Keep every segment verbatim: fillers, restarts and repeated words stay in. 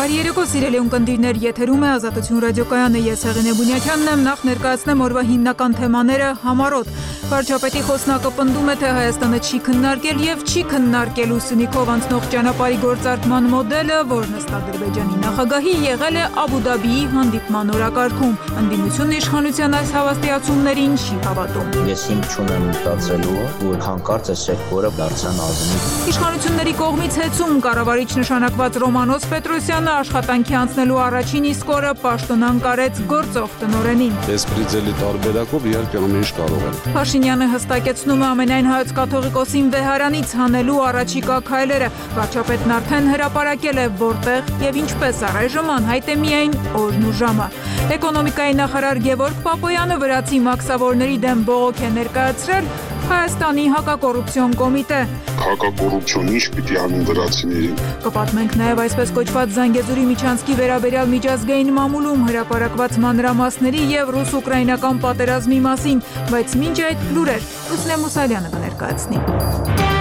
Բարի երեկո, սիրելի ունկնդիրներ, եթերում է Ազատություն ռադիոկայանը, ես Հեղինե Բունյակյանն եմ, նախ ներկայացնեմ օրվա հիմնական թեմաները համառոտ։ Վարչապետի խոսնակը պնդում է, թե Հայաստանը չի քննարկել եւ չի քննարկելու Սյունիքով անցնող ճանապարհի գործարկման մոդելը, որն ըստ Ադրբեջանի նախագահի եղել է Աբու Դաբիի հանդիպման օրակարգում։ Ընդդիմությունը իշխանության այս հավաստիացումներին չի հավատում։ Ես հիմք չունեմ մտածելու, որ հանկարծ այս սեկտորը դարձան ազնիվ։ Իշխանությունների կողմից հեծում կառավարիչ նշանակված Ռոմանոս Պետրոսյանը աշխատանքի անցնելու առաջին իսկ օրը պաշտոն անկարեց գործող տնօրենին։ Բեսպրիձելի տարբերակով իհարկե ամեն ինչ կարող են։ Փաշինյանը հստակեցնում է ամենայն հայոց կաթողիկոսին վեհարանից հանելու առաջիկա քայլերը։ Վարչապետն արդեն հրապարակել է որտեղ եւ ինչպես, առայժմ անհայտ է միայն օրն ու ժամը։ Էկոնոմիկայի նախարար Գևորգ Պապոյանը վրացի մաքսավորների դեմ բողոք է ներկայացրել Հայաստանի հակակոռուպցիոն կոմիտե։ Հակակոռուպցիոն ինչ պիտի անեն վրացիներին։ Կպատմենք նաև այսպես կոչված Զանգեզուրի միջանցքի վերաբերյալ միջազգային մամուլում հրապարակված մանրամասների եւ ռուս-ուկրաինական պատերազմի մասին, բայց մինչ այդ լուրեր Լուսինե Մուսալյանը կներկայացնի։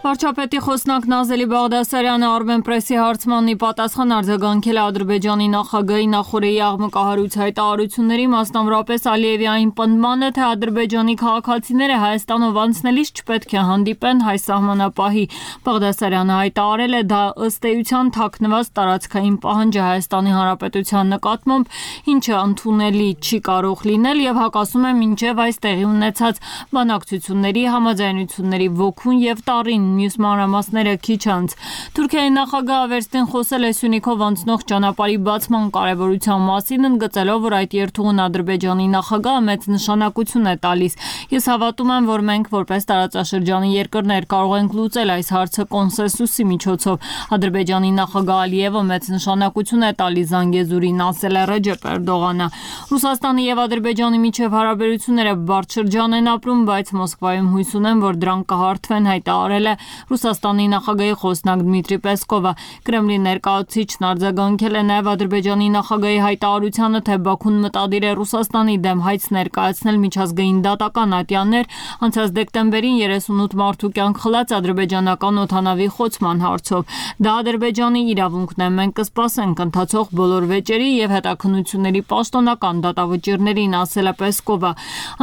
Վարչապետի խոսնակ Նազելի Բաղդասարյանը Armenpress-ի հարցմանի պատասխան արձագանքել է Ադրբեջանի նախագահի նախօրեի աղմկահարույց հայտարարությունների, մասնավորապես Ալիևի այն պնդմանը, թե Ադրբեջանի քաղաքացիները Հայաստանով անցնելիս չպետք է հանդիպեն հայ սահմանապահի։ Բաղդասարյանը հայտարարել է, դա ըստ էության թաքնված տարածքային պահանջ է Հայաստանի Հանրապետության նկատմամբ, ինչը ընդունելի չի կարող լինել եւ հակասում է մինչեւ այս տեղի ունեցած բանակցությունների, համաձայնությունների ոգուն եւ տառին։ Մյուս մանրամասները քիչ անց։ Թուրքիայի նախագահը վերստին խոսել է Սյունիքով անցնող ճանապարհի բացման կարևորության մասին, ընդգծելով, որ այդ երթուղուն Ադրբեջանի նախագահը մեծ նշանակություն է տալիս։ Ես հավատում եմ, որ մենք որպես տարածաշրջանի երկրներ կարող ենք լուծել այս հարցը կոնսենսուսի միջոցով։ Ադրբեջանի նախագահ Ալիևը մեծ նշանակություն է տալիս Զանգեզուրին, ասել է Ռեջեփ Էրդողանը։ Ռուսաստանի եւ Ադրբեջանի միջև հարաբերությունները բարդ շրջան են ապրում, բայց Մոսկվայում հույս ունեմ, որ դրանք կհարթվեն, հայտարարել է Ռուսաստանի նախագահի խոսնակ Դմիտրի Պեսկովը։ Կրեմլի ներկայացուցիչն արձագանքել է նաև Ադրբեջանի նախագահի հայտարարությանը, թե Բաքուն մտադիր է Ռուսաստանի դեմ հայց ներկայացնել միջազգային դատական ատյաններ անցած դեկտեմբերին երեսունութ մարդու կյանք խլած ադրբեջանական օդանավի խոցման հարցով։ Դա Ադրբեջանի իրավունքն է, մենք կսպասենք ընթացող բոլոր վեճերի եւ հետաքննությունների պաշտոնական դատավճիռներին, ասել է Պեսկովը։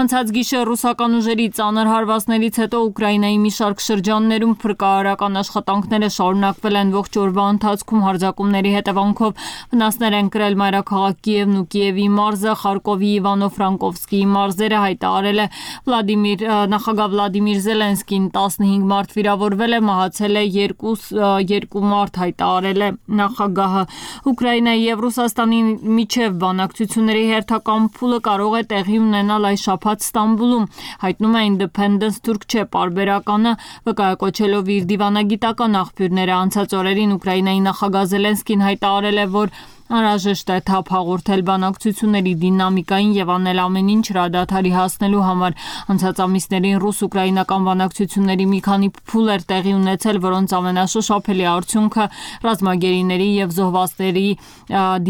Անցած գիշեր ռուսական ուժերի ծանր հարվածներից հետո Ուկրաինայի մի շարք շրջաններում փրկարարական աշխատանքները շարունակվել են ողջ օրվա ընթացքում հարձակումների հետևանքով վնասներ են կրել մայրաքաղաք Կիևն ու Կիևի մարզը, Խարկովի Իվանո-Ֆրանկովսկիի մարզերը, հայտարարել է Վլադիմիր նախագահ Վլադիմիր Զելենսկին։ տասնհինգ մարդ վիրավորվել է, մահացել է երկու մարդ, հայտարարել է նախագահը։ Ուկրաինայի եւ Ռուսաստանի միջև բանակցությունների հերթական փուլը կարող է տեղի ունենալ այս շաբաթ Ստամբուլում, հայտնում է Independence Turkche պարբերականը, վկայակոչելով իր դիվանագիտական աղբյուրները։ Անցած օրերին Ուկրաինայի նախագահ Զելենսկին հայտարարել է, որ անհրաժեշտ է թափ հաղորդել բանակցությունների դինամիկային եւ անել ամեն ինչ հրադադարի հասնելու համար։ Անցած ամիսներին ռուս-ուկրաինական բանակցությունների մի քանի փուլ էր տեղի ունեցել, որոնց ամենաշոշափելի արդյունքը ռազմագերիների եւ զոհվածների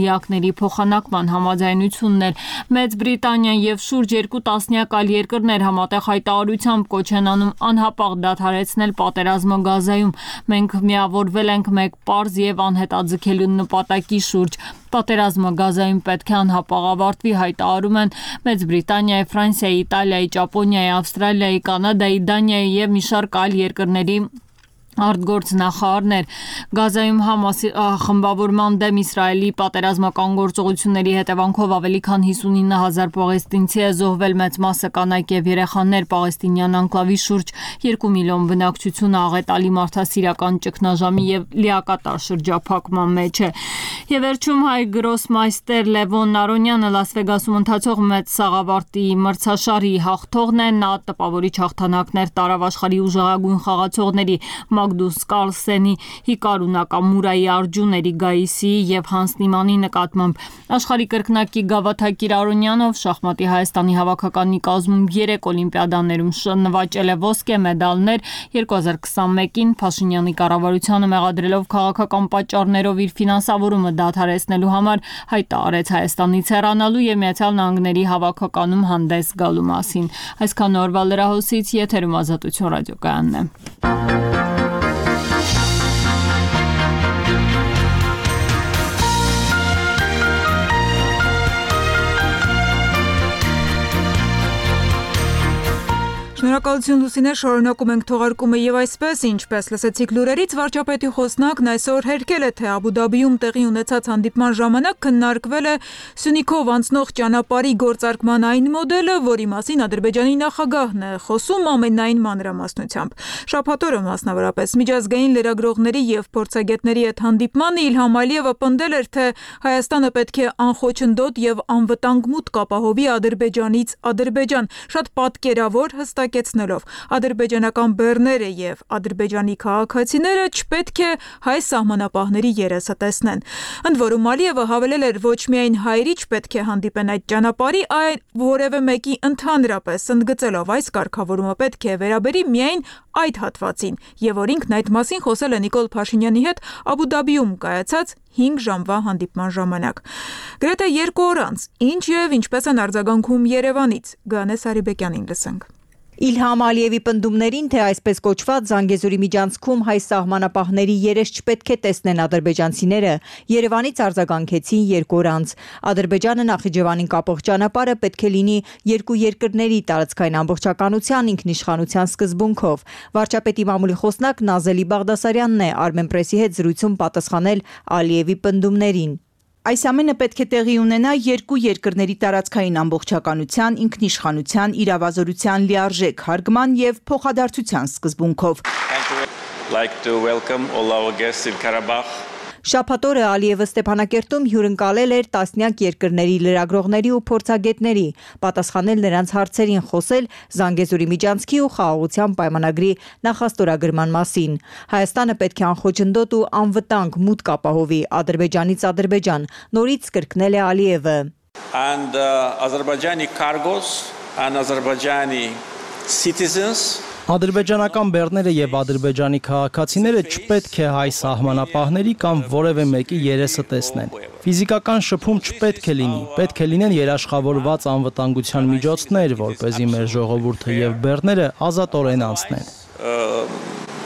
դիակների փոխանակման համաձայնությունն էր։ Մեծ Բրիտանիան եւ շուրջ երկու տասնյակ այլ երկրներ համատեղ հայտարարությամբ կոչ են անում անհապաղ դադարեցնել պատերազմը Գազայում։ Մենք միավորվել ենք մեկ պարզ եւ անհետաձգելու նպատակի շուրջ։ Պատերազմը Գազայում պետք է անհապաղ ավարտվի, հայտարարում են Մեծ Բրիտանիայի, Ֆրանսիայի, Իտալիայի, Ճապոնիայի, Ավստրալիայի, Կանադայի, Դանիայի եւ մի շարք այլ երկրների արտգործնախարարներ։ Գազայում Համասի խմբավորման դեմ Իսրայելի պատերազմական գործողությունների հետևանքով ավելի քան հիսունինը հազար պաղեստինցի է զոհվել, մեծ մասը կանայք եւ երեխաներ։ Պաղեստինյան անկլավի շուրջ երկու միլիոն բնակչությունը աղետալի մարդասիրական ճգնաժամի եւ լիակատար շրջափակման մեջ է։ Եվ վերջում հայ գրոսմայստեր Լևոն Նարոնյանը Լաս Վեգասում ընթացող մեծ սաղավարտի մրցաշարի հաղթողն է։ Նա տպավորիչ հաղթանակներ տարավ աշխարհի ուժեղագույն խաղացողների Մագդուս Կարլսենի, Հիկարու Նակամուրայի, Արջուն Էրիգայիսի եւ Հանս Նիմանի նկատմամբ։ Աշխարհի կրկնակի Գավաթակիր Արոնյանով շախմատի Հայաստանի հավաքականի կազմում երեք օլիմպիադաներում նվաճել է ոսկե մեդալներ։ երկու հազար քսանմեկին Փաշինյանի կառավարությանը մեղադրելով քաղաքական պատճառներով իր ֆինանսավորումը դադարեցնելու համար հայտարարեց Հայաստանից հեռանալու եւ Միացյալ Նահանգների հավաքականում հանդես գալու մասին։ Այսքան օրվա լրահոսից եթերում Ազատություն ռադիոկայանն է։ Շնորհակալություն Լուսինե, շարունակում ենք թողարկումը եւ այսպես, ինչպես լսեցիք լուրերից, վարչապետի խոսնակն այսօր հերքել է, թե Աբու Դաբիում տեղի ունեցած հանդիպման ժամանակ քննարկվել է Սյունիքով անցնող ճանապարհի գործարկման այն մոդելը, որի մասին Ադրբեջանի նախագահն է խոսում ամենայն մանրամասնությամբ։ Շաբաթ օրը մասնավորապես միջազգային լրագրողների եւ փորձագետների հետ հանդիպմանը Իլհամ Ալիևը պնդել էր, թե Հայաստանը պետք է անխոչնդոտ եւ անվտանգ մուտք ապահովի Ադրբեջանից Ադրբեջան, շատ պատկերավոր հստակեցնելով ադրբեջանական բեռները եւ ադրբեջանի քաղաքացիները չպետք է հայ սահմանապահների երեսը տեսնեն։ Ընդ որում Ալիևը հավելել էր, ոչ միայն հայերի չպետք է հանդիպեն այդ ճանապարհի, այլ որևէ մեկի ընդհանրապես, ընդգծելով այս կարգավորումը պետք է վերաբերի միայն այդ հատվածին, եւ որ ինքն այդ մասին խոսել է Նիկոլ Փաշինյանի հետ Աբու Դաբիում կայացած հինգ ժամվա հանդիպման ժամանակ։ Գրեթե երկու օր անց ինչ եւ ինչպես են արձագանքում Երևանից, Գանե Սարիբեկյանին լսենք։ Իլհամ Ալիևի պնդումներին, թե այսպես կոչված Զանգեզուրի միջանցքում հայ սահմանապահների երես չպետք է տեսնեն ադրբեջանցիները, Երևանից արձագանքեցին երկու օր անց։ Ադրբեջանը Նախիջևանին կապող ճանապարհը պետք է լինի երկու երկրների տարածքային ամբողջականության ինքնիշխանության սկզբունքով։ Վարչապետի մամուլի խոսնակ Նազելի Բաղդասարյանն է Armenpress-ի հետ զրույցում պատասխանել Ալիևի պնդումներին։ Այս ամենը պետք է տեղի ունենա երկու երկրների տարածքային ամբողջականության, ինքնիշխանության, իրավազորության լիարժեք հարգման եւ փոխադարձության սկզբունքով։ Շաբաթ օրը Ալիևը Ստեփանակերտում հյուրընկալել էր տասնյակ երկրների լրագրողների ու փորձագետների, պատասխանել նրանց հարցերին, խոսել Զանգեզուրի միջանցքի ու խաղաղության պայմանագրի նախաստորագրման մասին։ Հայաստանը պետք է անխոչնդոտ ու անվտանգ մուտք ապահովի Ադրբեջանից Ադրբեջան, նորից կրկնել է Ալիևը։ And uh, Azerbaijani cargos and Azerbaijani citizens Ադրբեջանական բեռները եւ ադրբեջանի քաղաքացիները չպետք է հայ սահմանապահների կամ որևէ մեկի երեսը տեսնեն։ Ֆիզիկական շփում չպետք է լինի, պետք է լինեն երաշխավորված անվտանգության միջոցներ, որպեսզի մեր ժողովուրդը եւ բեռները ազատորեն անցնեն։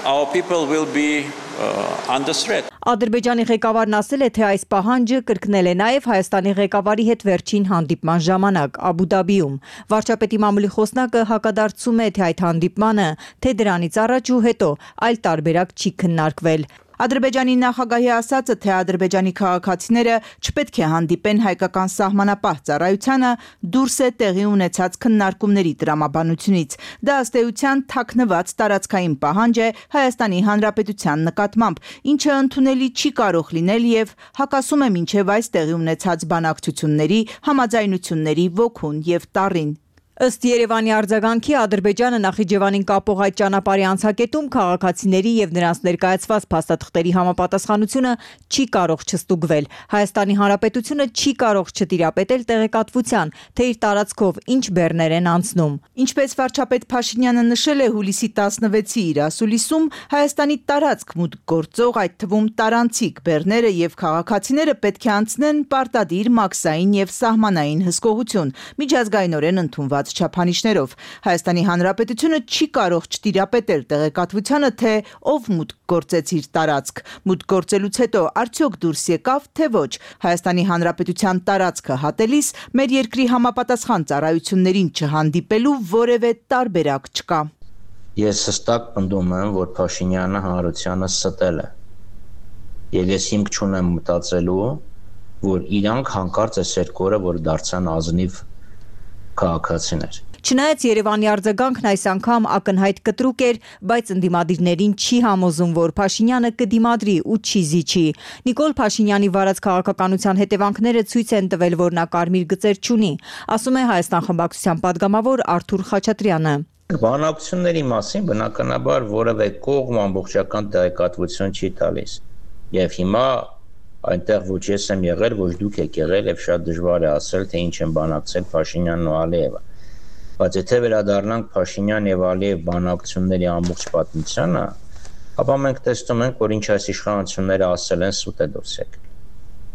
Our people will be uh, under threat. Ադրբեջանի ղեկավարն ասել է, թե այս պահանջը կրկնել է նաև Հայաստանի ղեկավարի հետ վերջին հանդիպման ժամանակ Աբու Դաբիում։ Վարչապետի մամուլի խոսնակը հակադարձում է, թե այդ հանդիպմանը, թե դրանից առաջ ու հետո այլ տարբերակ չի քննարկվել։ Ադրբեջանի նախագահի ասածը, թե ադրբեջանի քաղաքացիները չպետք է հանդիպեն հայկական սահմանապահ ծառայությանը, դուրս է տեղի ունեցած քննարկումների տրամաբանությունից։ Դա ըստ էության թաքնված տարածքային պահանջ է Հայաստանի Հանրապետության նկատմամբ, ինչը ընդունելի չի կարող լինել եւ հակասում է մինչեւ այս տեղի ունեցած բանակցությունների, համաձայնությունների ոգուն եւ տառին։ Ըստ Երևանի արձագանքի Ադրբեջանը Նախիջևանին կապող այդ ճանապարհի անցակետում քաղաքացիների եւ նրանց ներկայացված փաստաթղթերի համապատասխանությունը չի կարող չստուգվել։ Հայաստանի Հանրապետությունը չի կարող չտիրապետել տեղեկատվության, թե իր տարածքով ինչ բեռներ են անցնում։ Ինչպես վարչապետ Փաշինյանը նշել է հուլիսի տասնվեցի իր ասուլիսում, Հայաստանի տարածք մուտք գործող, այդ թվում տարանցիկ բեռները եւ քաղաքացիները պետք է անցնեն պարտադիր մաքսային եւ սահմանային հսկողություն, միջազգայինորեն ընդունված չափանիշներով։ Հայաստանի Հանրապետությունը չի կարող չտիրապետել տեղեկատվությանը, թե ով մուտք գործեց իր տարածք։ Մուտք գործելուց հետո արդյոք դուրս եկավ, թե ոչ։ Հայաստանի Հանրապետության տարածքը հատելիս մեր երկրի համապատասխան ծառայություններին չհանդիպելու որևէ տարբերակ չկա։ Ես հստակ պնդում եմ, որ Փաշինյանը հանրությանը ստել է։ Եվ ես հիմք չունեմ մտածելու, որ իրանք հանկարծ այս երկու օրը որ դարձան ազնիվ քաղաքացիներ։ Չնայած Երևանի արձագանքն այս անգամ ակնհայտ կտրուկ էր, բայց ընդդիմադիրներին չի համոզում, որ Փաշինյանը կդիմադրի ու չի զիջի։ Նիկոլ Փաշինյանի վարած քաղաքականության հետևանքները ցույց են տվել, որ նա կարմիր գծեր չունի, ասում է Հայաստան խմբակցության падգամավոր Արթուր Խաչատրյանը։ Բանակցությունների մասին բնականաբար որևէ կողմ ամբողջական տեղեկատվություն չի տալիս։ Եվ հիմա այնտեղ ոչ ես եմ եղել, ոչ դուք եք եղել եւ շատ դժվար է ասել, թե ինչ են բանակցել Փաշինյանն ու Ալիևը։ Բայց եթե վերադառնանք Փաշինյան եւ Ալիև բանակցությունների ամբողջ պատմությանը, ապա մենք տեսնում ենք, որ ինչ այս իշխանությունները ասել են սուտ է դուրս եկել։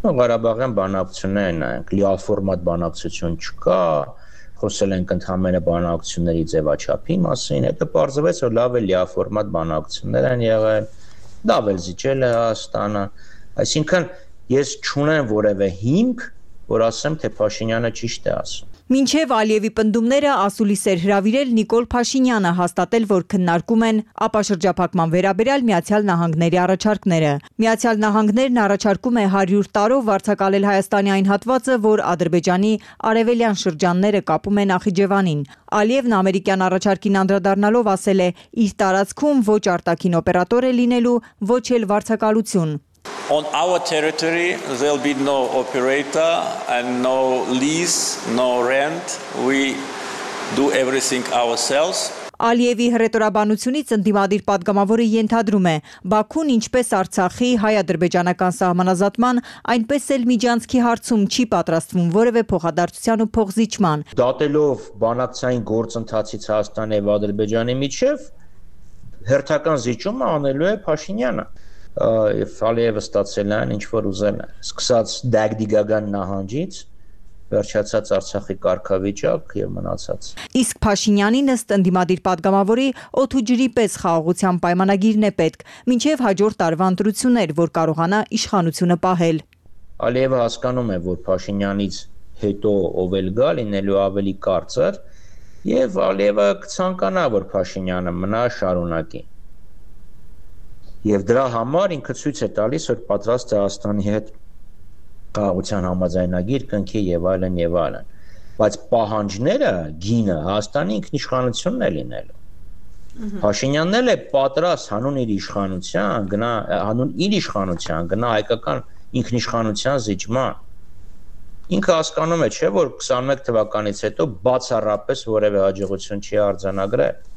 Նո Ղարաբաղյան բանակցություններն նայենք, լիաֆորմատ բանակցություն չկա, խոսել ենք ընդհանրապես բանակցությունների ձևաչափի մասին, հետո պարզվեց, որ լավ է լիաֆորմատ բանակցություններ են եղել, լավ է զիջել է Հայաստանը, այսինքն ես չունեմ որևէ հիմք, որ ասեմ, թե Փաշինյանը ճիշտ է ասում։ Մինչև Ալիևի պնդումները ասուլիս էր հրավիրել Նիկոլ Փաշինյանը հաստատել, որ քննարկում են ապաշրջափակման վերաբերյալ Միացյալ Նահանգների առաջարկները։ Միացյալ Նահանգներն առաջարկում է հարյուր տարով վարձակալել Հայաստանի այն հատվածը, որ Ադրբեջանի արևելյան շրջանները կապում է Նախիջևանին։ Ալիևն ամերիկյան առաջարկին անդրադառնալով ասել է՝ իր տարածքում ոչ արտաքին օպերատոր է լինելու, ոչ էլ վարձակալություն։ On our territory, there'll be no operator and no lease, no rent. We do everything ourselves. Ալիևի հռետորաբանությունից ընդդիմադիր պատգամավորը ենթադրում է, Բաքուն ինչպես Արցախի հայ-ադրբեջանական սահմանազատման, այնպես էլ Միջանցքի հարցում չի պատրաստվում որևէ փոխադարձության ու փոխզիջման։ Դատելով բանակցային գործընթացից Հայաստանի եւ Ադրբեջանի միջև հերթական զիջումը անելու է Փաշինյանը։ Եվ Ալիևը ստացել են ինչ որ ուզել են, սկսած Դագդիգական նահանջից, վերջացած Արցախի կարգավիճակ եւ մնացած։ Իսկ Փաշինյանին ըստ ընդդիմադիր պատգամավորի օդ ու ջրի պես խաղաղության պայմանագիրն է պետք, մինչև հաջորդ տարվա ընտրություններ, որ կարողանա իշխանությունը պահել։ Ալիևը հասկանում է, որ Փաշինյանից հետո ով էլ գա լինելու ավելի կարծր, եւ Ալիևը կցանկանա, որ Փաշինյանը մնա շարունակի։ Եվ դրա համար ինքը ցույց է տալիս, որ պատրաստ է Հայաստանի հետ խաղաղության համաձայնագիր կնքի եւ այլն եւ այլն։ Բայց պահանջները, գինը Հայաստանի ինքնիշխանությունն է լինելու։ Փաշինյանն էլ է պատրաստ հանուն իր իշխանության, գնա հանուն իր իշխանության, գնա հայկական ինքնիշխանության զիջման։ Ինքը հասկանում է, չէ, որ քսանմեկ թվականից հետո բացառապես որևէ հաջողություն չի արձանագրել։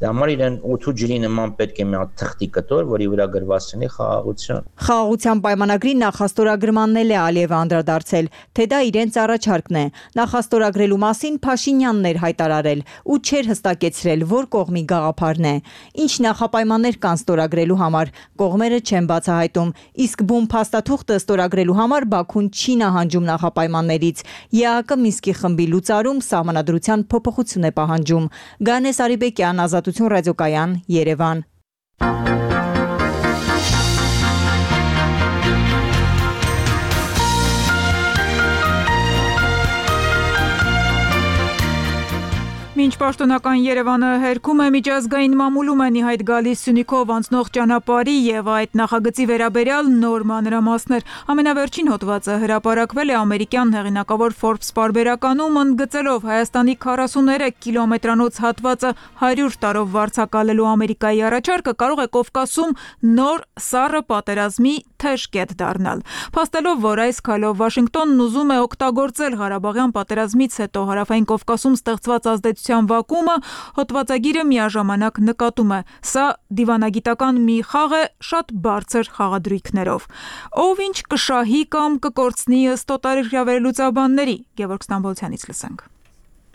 Դա համար իրեն օդ ու ջրի նման պետք է մի հատ թղթի կտոր, որի վրա գրված լինի խաղաղություն։ Խաղաղության պայմանագրի նախաստորագրմանն էլ է Ալիևը անդրադարձել, թե դա իրենց առաջարկն է։ Նախաստորագրելու մասին Փաշինյանն էր հայտարարել ու չէր հստակեցրել, որ կողմի գաղափարն է։ Ինչ նախապայմաններ կան ստորագրելու համար, կողմերը չեն բացահայտում, իսկ բուն փաստաթուղթը ստորագրելու համար Բաքուն չի նահանջում նախապայմաններից։ ԵԱՀԿ Մինսկի խմբի լուծարում սահմանադրության փոփոխություն է պահանջում։ Գանես Արիբեկյան, Ազատություն ռադիոկայան, Երևան։ Մինչ պաշտոնական Երևանը հերքում է միջազգային մամուլում են ի հայտ գալիս Սյունիքով անցնող ճանապարհի եւ այդ նախագծի վերաբերյալ նոր մանրամասներ։ Ամենավերջին հոդվածը հրապարակվել է ամերիկյան հեղինակավոր Forbes պարբերականում, ընդգծելով Հայաստանի քառասուններեք կիլոմետրանոց հատվածը հարյուր տարով վարձակալելու Ամերիկայի առաջարկը կարող է Կովկասում նոր սառը պատերազմի թեժ կետ դառնալ։ Փաստելով, որ այս քայլով Վաշինգտոնն ուզում է օգտագործել Ղարաբաղյան պատերազմից հետո Հարավային Կովկասում ստեղծված ազդեցության վակուումը, հոդվածագիրը միաժամանակ նկատում է. սա դիվանագիտական մի խաղ է շատ բարձր խաղադրույքներով։ Ով ինչ կշահի կամ կկորցնի ըստ օտարերկրյա վերլուծաբանների, Գևորգ Ստամբոլցյանից լսենք։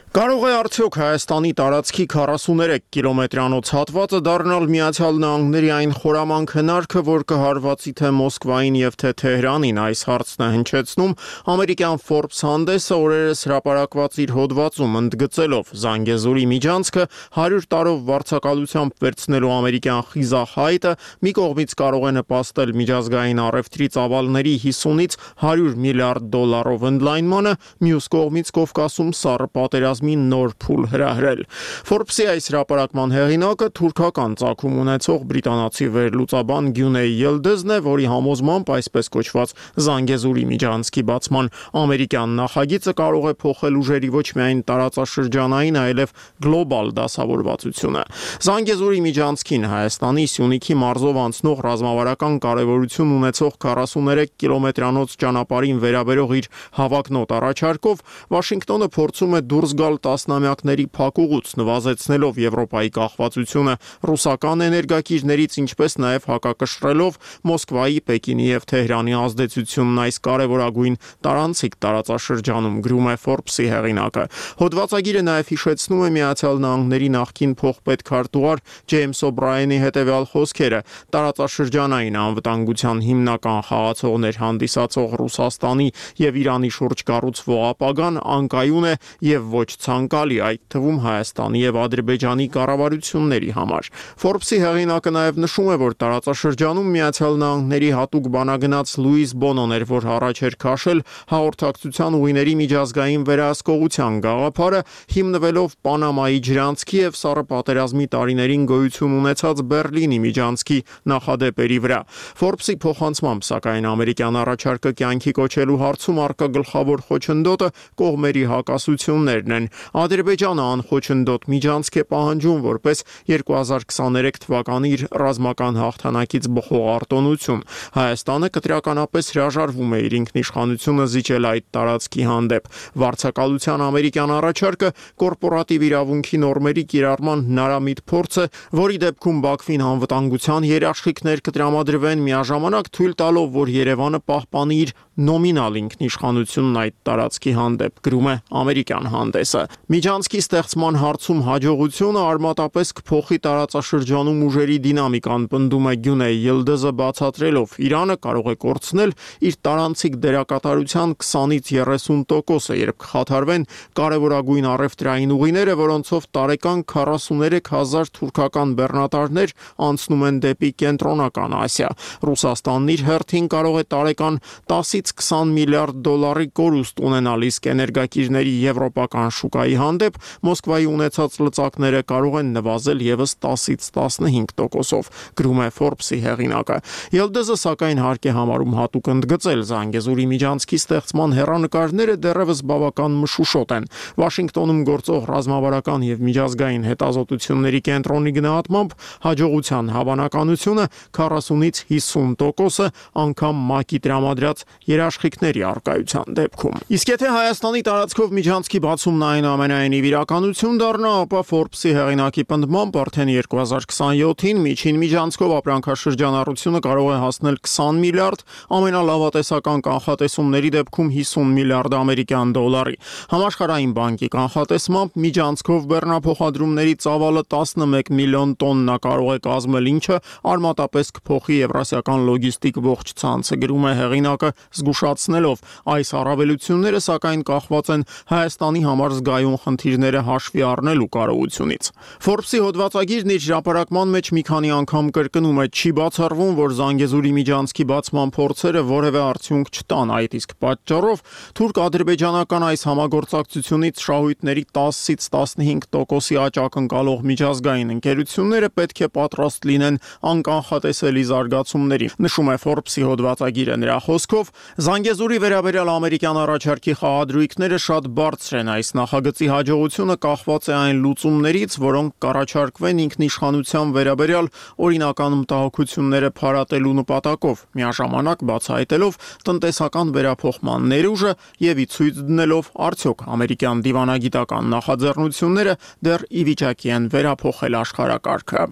Կարող է արդյոք Հայաստանի տարածքի քառասուներեք կիլոմետրանոց հատվածը դառնալ Միացյալ Նահանգների այն խորամանկ հնարքը, որ կհարվածի թե Մոսկվային եւ թե Թեհրանին, այս հարցն է հնչեցնում ամերիկյան Forbes հանդեսը օրերս հրապարակված իր հոդվածում, ընդգծելով Զանգեզուրի միջանցքը հարյուր տարով վարձակալությամբ վերցնելու ամերիկյան խիզախ հայտը մի կողմից կարող է նպաստել միջազգային առևտրի ծավալների հիսունից հարյուր միլիարդ դոլարով ընդլայնմանը, մյուս կողմից Կովկասում սառը պատերազմ նոր փուլ հրահրել։ Forbes-ի այս հրապարակման հեղինակը թուրքական ծագում ունեցող բրիտանացի վերլուծաբան Գյունեյ Ելդեզն է, որի համոզմամբ այսպես կոչված Զանգեզուրի միջանցքի բացման ամերիկյան նախագիծը կարող է փոխել ուժերի ոչ միայն տարածաշրջանային, այլև գլոբալ դասավորվածությունը։ Զանգեզուրի միջանցքին Հայաստանի Սյունիքի մարզով անցնող ռազմավարական կարևորություն ունեցող քառասուներեք կիլոմետրանոց ճանապարհին վերաբերող իր հավակնոտ առաջարկով Վաշինգտոնը փորձում է դուրս գալ տասնամյակների փակուղուց, նվազեցնելով Եվրոպայի կախվածությունը ռուսական էներգակիրներից, ինչպես նաև հակակշռելով Մոսկվայի, Պեկինի եւ Թեհրանի ազդեցությունն այս կարևորագույն տարանցիկ տարածաշրջանում, գրում է Forbes-ի հեղինակը։ Հոդվածագիրը նաև հիշեցնում է Միացյալ Նահանգների նախկին փոխպետքարտուղար Ջեյմս Օբրայենի հետևյալ խոսքերը. տարածաշրջանային անվտանգության հիմնական խաղացողներ հանդիսացող Ռուսաստանի եւ Իրանի շուրջ կառուցվող ապագան անկայուն է եւ ոչ ցանկալի, այդ թվում Հայաստանի եւ Ադրբեջանի կառավարությունների համար։ Forbes-ի հեղինակը նաեւ նշում է, որ տարածաշրջանում Միացյալ Նահանգների հատուկ բանագնաց Լուիս Բոնոն էր, որ առաջ էր քաշել հաղորդակցության ուղիների միջազգային վերահսկողության գաղափարը, հիմնվելով Պանամայի ջրանցքի եւ Սառը պատերազմի տարիներին գոյություն ունեցած Բերլինի միջանցքի նախադեպերի վրա։ Forbes-ի փոխանցմամբ, սակայն ամերիկյան առաջարկը կյանքի կոչելու հարցում առկա գլխավոր խոչընդոտը կողմերի հակասություններն են։ Ադրբեջանը անխոչընդոտ միջանցք է պահանջում որպես երկու հազար քսաներեք թվականի իր ռազմական հաղթանակից բխող արտոնություն։ Հայաստանը կտրականապես հրաժարվում է իր ինքնիշխանությունը զիջել այդ տարածքի հանդեպ։ Վարձակալության ամերիկյան առաջարկը կորպորատիվ իրավունքի նորմերի կիրառման հնարամիտ փորձ է, որի դեպքում Բաքվին անվտանգության երաշխիքներ կտրամադրվեն, միաժամանակ թույլ տալով, որ Երևանը պահպանի իր նոմինալ ինքնիշխանությունն այդ տարածքի հանդեպ, գրում է ամերիկյան հանդեսը։ Միջանցքի ստեղծման հարցում հաջողությունը արմատապես կփոխի տարածաշրջանում ուժերի դինամիկան, պնդում է Գյունե Յիլդզը, բացատրելով Իրանը կարող է կորցնել իր տարանցիկ դերակատարության քսանից երեսուն տոկոսը, երբ կխաթարվեն կարևորագույն առևտրային ուղիները, որոնցով տարեկան քառասուներեք հազար թուրքական բեռնատարներ անցնում են դեպի կենտրոնական Ասիա։ Ռուսաստանն իր հերթին կարող է տարեկան տասից քսան միլիարդ դոլարի կորուստ ունենալ, իսկ էներգակիրների եվրոպական շուկայի հանդեպ Մոսկվայի ունեցած լծակները կարող են նվազել եւս տասից տասնհինգ տոկոսով, գրում է Forbes-ի հեղինակը։ Յիլդզը սակայն հարկ է համարում հատուկ ընդգծել Զանգեզուրի միջանցքի ստեղծման հեռանկարները դեռևս բավական մշուշոտ են։ Վաշինգտոնում գործող ռազմավարական եւ միջազգային հետազոտությունների կենտրոնի գնահատմամբ հաջողության հավանականությունը քառասունից հիսուն տոկոս է, անգամ ՄԱԿ-ի տրամադրած երաշխիքների առկայության դեպքում։ Իսկ եթե Հայաստանի տարածքով միջանցքի բացումն այնուամենայնիվ իրականություն դառնա, ապա Forbes-ի հեղինակի պնդմամբ արդեն երկու հազար քսաներկուին միջին միջանցքով ապրանքաշրջանառությունը կարող է հասնել քսան միլիարդ, ամենալավատեսական կանխատեսումների դեպքում հիսուն միլիարդ ամերիկյան դոլարի։ Համաշխարհային բանկի կանխատեսմամբ միջանցքով բեռնափոխադրումների ծավալը տասնմեկ միլիոն տոննա կարող է կազմել, ինչը արմատապես կփոխի եվրասիական լոգիստիկ ողջ ցանցը, գրում է հեղինակը, զգուշացնելով այս առավելությունները սակայն կախված են Հայաստանի համար զգայուն խնդիրները հաշվի առնելու կարողությունից։ Forbes-ի հոդվածագիրն իր հրապարակման մեջ մի քանի անգամ կրկնում է, չի բացառվում, որ Զանգեզուրի միջանցքի բացման փորձերը որևէ արդյունք չտան, այդ իսկ պատճառով թուրք-ադրբեջանական այս համագործակցությունից շահույթների տասից տասնհինգ տոկոսի աճ ակնկալող միջազգային ընկերությունները պետք է պատրաստ լինեն անկանխատեսելի զարգացումների, նշում է Forbes-ի հոդվածագիրը։ Նրա խոսքով Զանգեզուրի վերաբերյալ ամերիկյան առաջարկի խաղադրույքները շատ բարձր են։ Այս նախագծի հաջողությունը կախված է այն լուծումներից, որոնք կառաջարկվեն ինքնիշխանության վերաբերյալ օրինական մտահոգությունները փարատելու նպատակով, միաժամանակ բացահայտելով տնտեսական վերափոխման ներուժը եւ ի ցույց դնելով արդյոք ամերիկյան դիվանագիտական նախաձեռնությունները դեռ ի վիճակի են վերափոխել աշխարհակարգը։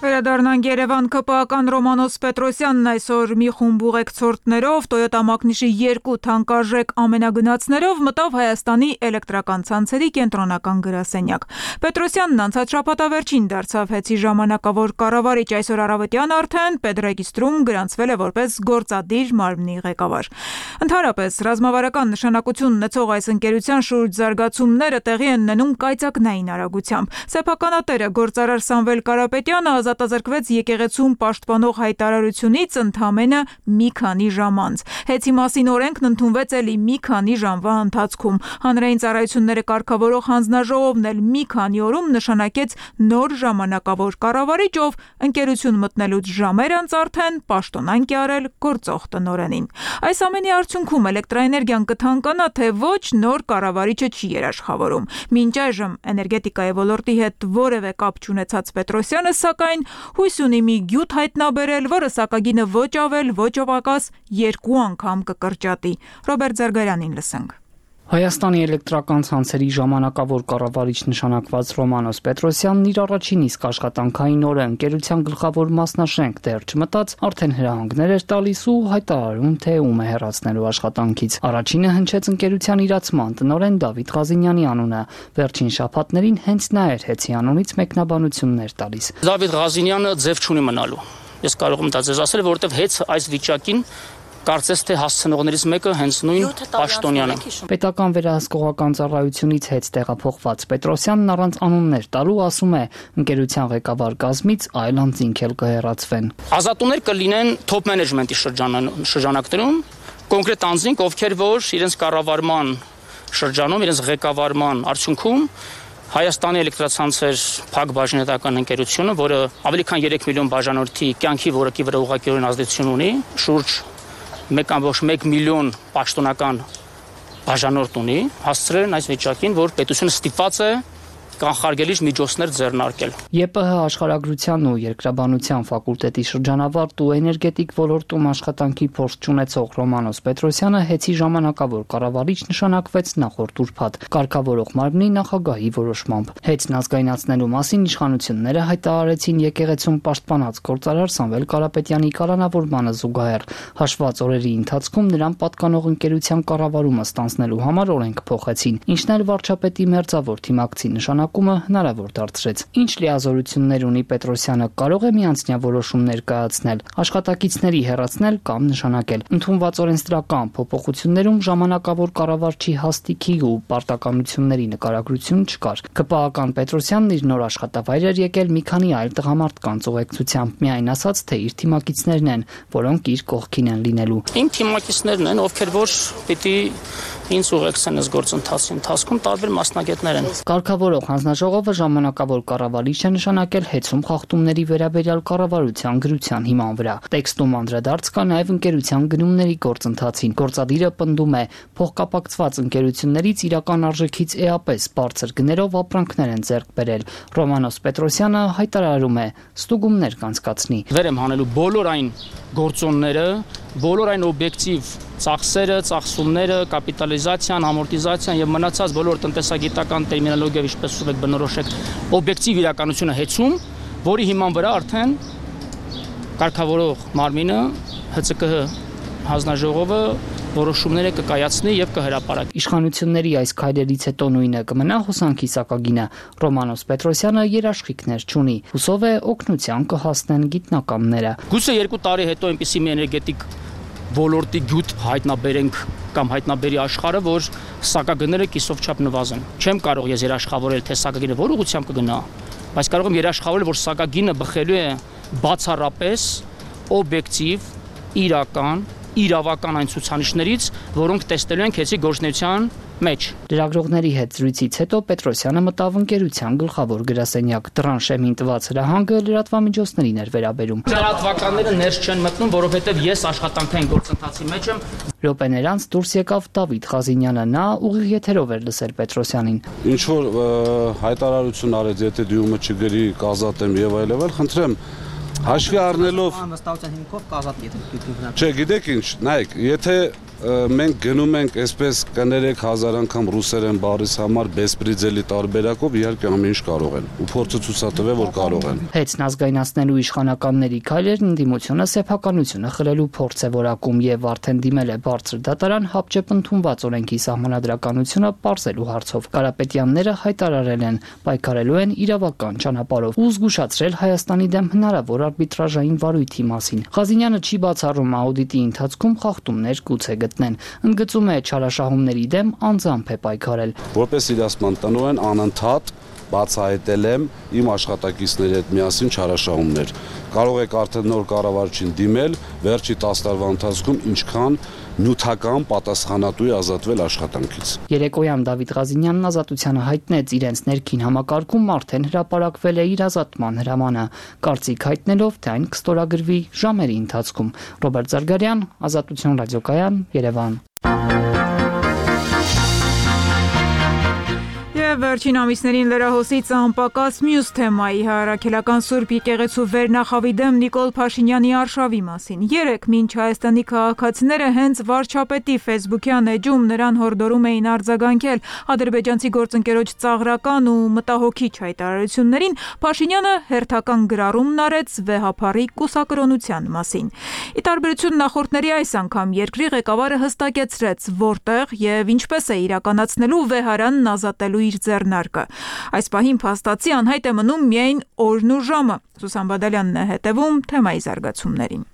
Վերադառնանք Երևան, ԿՊԱ-ական Ռոմանոս Պետրոսյանն այսօր մի խումբ ուղեկցորդներով Toyota Magnish-ի երկու թանկարժեք ամենագնացներով մտավ Հայաստանի էլեկտրական ցանցերի կենտրոնական գրասենյակ։ Պետրոսյանն անցած շաբաթավերջին դարձավ ՀԵՑ-ի ժամանակավոր կառավարիչ, այսօր առավոտյան արդեն Պետրեգիստրում գրանցվել է որպես գործադիր մարմնի ղեկավար։ Ընդհանրապես, ռազմավարական նշանակություն ունեցող այս ընկերության շուրջ զարգացումները տեղի են ունենում կայծակնային արագությամբ։ Սեփականատերը գործարար Սամվել Կարապետյանը ազատազրկվեց եկեղեցում պաշտպանող հայտարարությունից ընդամենը մի քանի ժամ անց։ ՀԵՑ-ի մասին օրենքն ընդունվեց էլի մի քանի ժամվա ընթացքում։ Հանրային ծառայությունները կարգավորող հանձնաժողովն էլ մի քանի օրում նշանակեց նոր ժամանակավոր կառավարիչ, ով ընկերություն մտնելուց ժամեր անց արդեն պաշտոնանկ է արել գործող տնօրենին։ Այս ամենի արդյունքում էլեկտրաէներգիան կթանկանա, թե ոչ, նոր կառավարիչը չի երաշխավորում։ Մինչ այժմ էներգետիկայի ոլորտի հետ որևէ կապ չունեցած Պետրոսյանը սակայն հույս ունի մի գյուտ հայտնաբերել, որը սակագինը ոչ ավել, ոչ պակաս երկու անգամ կկրճատի։ Ռոբերտ Զարգարյանին լսենք։ Հայաստանի էլեկտրական ցանցերի ժամանակավոր կառավարիչ նշանակված Ռոմանոս Պետրոսյանն իր առաջին իսկ աշխատանքային օրը ընկերության գլխավոր մասնաշենք դեռ չմտած, արդեն հրահանգներ էր տալիս ու հայտարարում, թե ում է հեռացնելու աշխատանքից։ Առաջինը հնչեց ընկերության իրացման տնօրեն Դավիթ Ղազինյանի անունը։ Վերջին շաբաթներին հենց նա էր ՀԵՑ-ի անունից մեկնաբանություններ տալիս։ Դավիթ Ղազինյանը ձև չունի մնալու։ Ես կարող եմ դա ձեզ ասել, որովհետև ՀԵՑ այս վիճակին Կարծես թե հասցնողներից մեկը հենց նույն պաշտոնյանը։ Պետական վերահսկողական ծառայությունից հետ տեղափոխված Պետրոսյանն առանց անուններ տալու ասում է, ընկերության ղեկավար կազմից այլ անձինք էլ կհեռացվեն։ Ազատումներ կլինեն top management-ի շրջանակներում, կոնկրետ անձինք, ովքեր որ իրենց կառավարման շրջանում, իրենց ղեկավարման արդյունքում Հայաստանի էլեկտրացանցեր փակ բաժնետական ընկերությունը, որը ավելի քան երեք միլիոն բաժանորդի կյանքի որակի վրա ուղղակիորեն ազդեցություն ունի, շուրջ մեկ կόμμα մեկ միլիոն պաշտոնական բաժանորդ ունի, հասցրել են այս վիճակին, որ պետությունը ստիպված է կանխարգելիչ միջոցներ ձեռնարկել։ ԵՊՀ աշխարհագրության ու երկրաբանության ֆակուլտետի շրջանավարտ ու էներգետիկ ոլորտում աշխատանքի փորձ ունեցող Ռոմանոս Պետրոսյանը հեծի ժամանակավոր կառավարիչ նշանակվեց նախորդ ուրբաթ կարգավորող մարմնի նախագահի որոշմամբ։ Հեծն ազգայնացնելու մասին իշխանությունները հայտարարեցին եկեղեցում պաշտպանած գործարար Սամվել Կարապետյանի կալանավորմանը զուգահեռ։ Հաշված օրերի ընթացքում նրան պատկանող ընկերության կառավարումը ստանձնելու համար օրենք փոխեցին, ինչն էլ վարչապետի մերձավոր թիմակցի նշանակ հնարավոր դարձրեց։ Ինչ լիազորություններ ունի Պետրոսյանը, կարող է միանձնյա որոշումներ կայացնել, աշխատակիցների հեռացնել կամ նշանակել։ Ընդունված օրենսդրական փոփոխություններում ժամանակավոր կառավարչի հաստիքի ու պարտականությունների նկարագրություն չկար։ ԿՊԱ-ական Պետրոսյանն իր նոր աշխատավայր էր եկել մի քանի այլ տղամարդկանց ուղեկցությամբ, միայն ասած, թե իր թիմակիցներն են, որոնք իր կողքին են լինելու։ Իմ թիմակիցներն են, ովքեր որ պիտի ինձ ուղեկցեն այս գործընթացի ընթացքում տարբեր մասնագետներ են։ Կարգավորող հանձնաժողովը ժամանակավոր կառավարիչ է նշանակել հեծում խախտումների վերաբերյալ կառավարության գրության հիման վրա։ Տեքստում անդրադարձ կա նաև ընկերության գնումների գործընթացին։ Գործադիրը պնդում է, փոխկապակցված ընկերություններից իրական արժեքից էապես բարձր գներով ապրանքներ են ձեռք բերել։ Ռոմանոս Պետրոսյանը հայտարարում է, ստուգումներ կանցկացնի։ Վեր եմ հանելու բոլոր այն գործոնները, բոլոր այն օբյեկտիվ ծախսերը, ծախսումները, կապիտալիզացիան, ամորտիզացիան եւ մնացած բոլոր տնտեսագիտական տերմինոլոգիայով ինչպես ուզում եք բնորոշեք օբյեկտիվ իրականությունը հեծում, որի հիման վրա արդեն կարգավորող մարմինը Հ Ց Կ Հ հանձնաժողովը որոշումները կկայացնի եւ կհրապարակի։ Իշխանությունների այս քայլերից հետո նույնը կմնա հոսանքի սակագինը։ Ռոմանոս Պետրոսյանը երաշխիքներ չունի։ Հուսով է օգնության կհասնեն գիտնականները։ Գուցե երկու տարի հետո այնպիսի մի էներգետիկ ոլորտի գյուտ հայտնաբերենք կամ հայտնաբերի աշխարհը, որ սակագները կիսով չափ նվազեն։ Չեմ կարող ես երաշխավորել, թե սակագինը որ ուղղությամբ կգնա, բայց կարող եմ երաշխավորել, որ սակագինը բխելու է բացառապես օբյեկտիվ, իրական, իրավական այն ցուցանիշներից, որոնք տեսնելու են քեցի գործնեության մեջ։ Լրագրողների հետ զրույցից հետո Պետրոսյանը մտավ ընկերության գլխավոր գրասենյակ։ Դրան շեմին տված հրահանգը լրատվամիջոցներին էր վերաբերում։ Լրատվականները ներս չեն մտնում, որովհետև ես աշխատանքային գործընթացի մեջ եմ։ Րոպեներ անց դուրս եկավ Դավիթ Ղազինյանը, նա ուղիղ եթերով էր լսել Պետրոսյանին։ Ինչ որ հայտարարություն արեց, եթե դյումը չգրի, կազատեմ եւ այլն, խնդրեմ հաշվի առնելով անվստահության հիմքով կազատ եթե Չէ, գիտեք ինչ, նայեք, եթե մենք գնում ենք այսպես կներեք հազար անգամ ռուսերեն բառից համար բեսպրիձելի տարբերակով իհարկե ամեն ինչ կարող են ու փորձը ցուցատվել որ կարող են։ Հեծն ազգայնացնելու իշխանականների քայլերն ընդդիմությունը սեփականությունը խլելու փորձ է որակում եւ արդեն դիմել է բարձր դատարան հապճեպ ընդունված օրենքի սահմանադրականությունը պարզելու հարցով։ Կարապետյանները հայտարարել են պայքարելու են իրավական ճանապարհով ու զգուշացրել Հայաստանի դեմ հնարավոր արբիտրաժային վարույթի մասին։ Ղազինյանը չի բացառում աուդիտի ընթացքում խախտումներ գուցե գտնեն։ Ընդգծում է չարաշահումների դեմ անձամբ է պայքարել։ Որպես իրացման տնօրեն անընդհատ բացահայտել եմ իմ աշխատակիցների հետ միասին չարաշահումներ։ Կարող եք արդեն նոր կառավարչին դիմել վերջի տասը տարվա ընթացքում ինչքան նյութական պատասխանատու է ազատվել աշխատանքից։ Երեկոյան Դավիթ Ղազինյանն Ազատությանը հայտնեց իրենց ներքին համակարգում արդեն հրապարակվել է իր ազատման հրամանը, կարծիք հայտնելով, թե այն կստորագրվի ժամերի ընթացքում։ Ռոբերտ Զարգարյան, Ազատություն ռադիոկայան, Երևան։ Վերջին ամիսներին լրահոսից անպակաս մյուս թեմայի հարաքելական Սուրբ եկեղեցու վերնախավի դեմ Նիկոլ Փաշինյանի արշավի մասին։ Երեկ մինչ Հայաստանի քաղաքացիները հենց վարչապետի ֆեյսբուքյան էջում նրան հորդորում էին արձագանքել ադրբեջանցի գործընկերոջ ծաղրական ու մտահոգիչ հայտարարություններին, Փաշինյանը հերթական գրառումն արեց վեհափառի կուսակրոնության մասին։ Ի տարբերություն նախորդների այս անգամ երկրի ղեկավարը հստակեցրեց, որտեղ եւ ինչպես է իրականացնելու վեհարանն ազատելու իր ձեռնարկը։ Այս պահին փաստացի անհայտ է մնում միայն օրն ու ժամը։ Սուսան Բադալյանն է հետևում թեմայի զարգացումներին։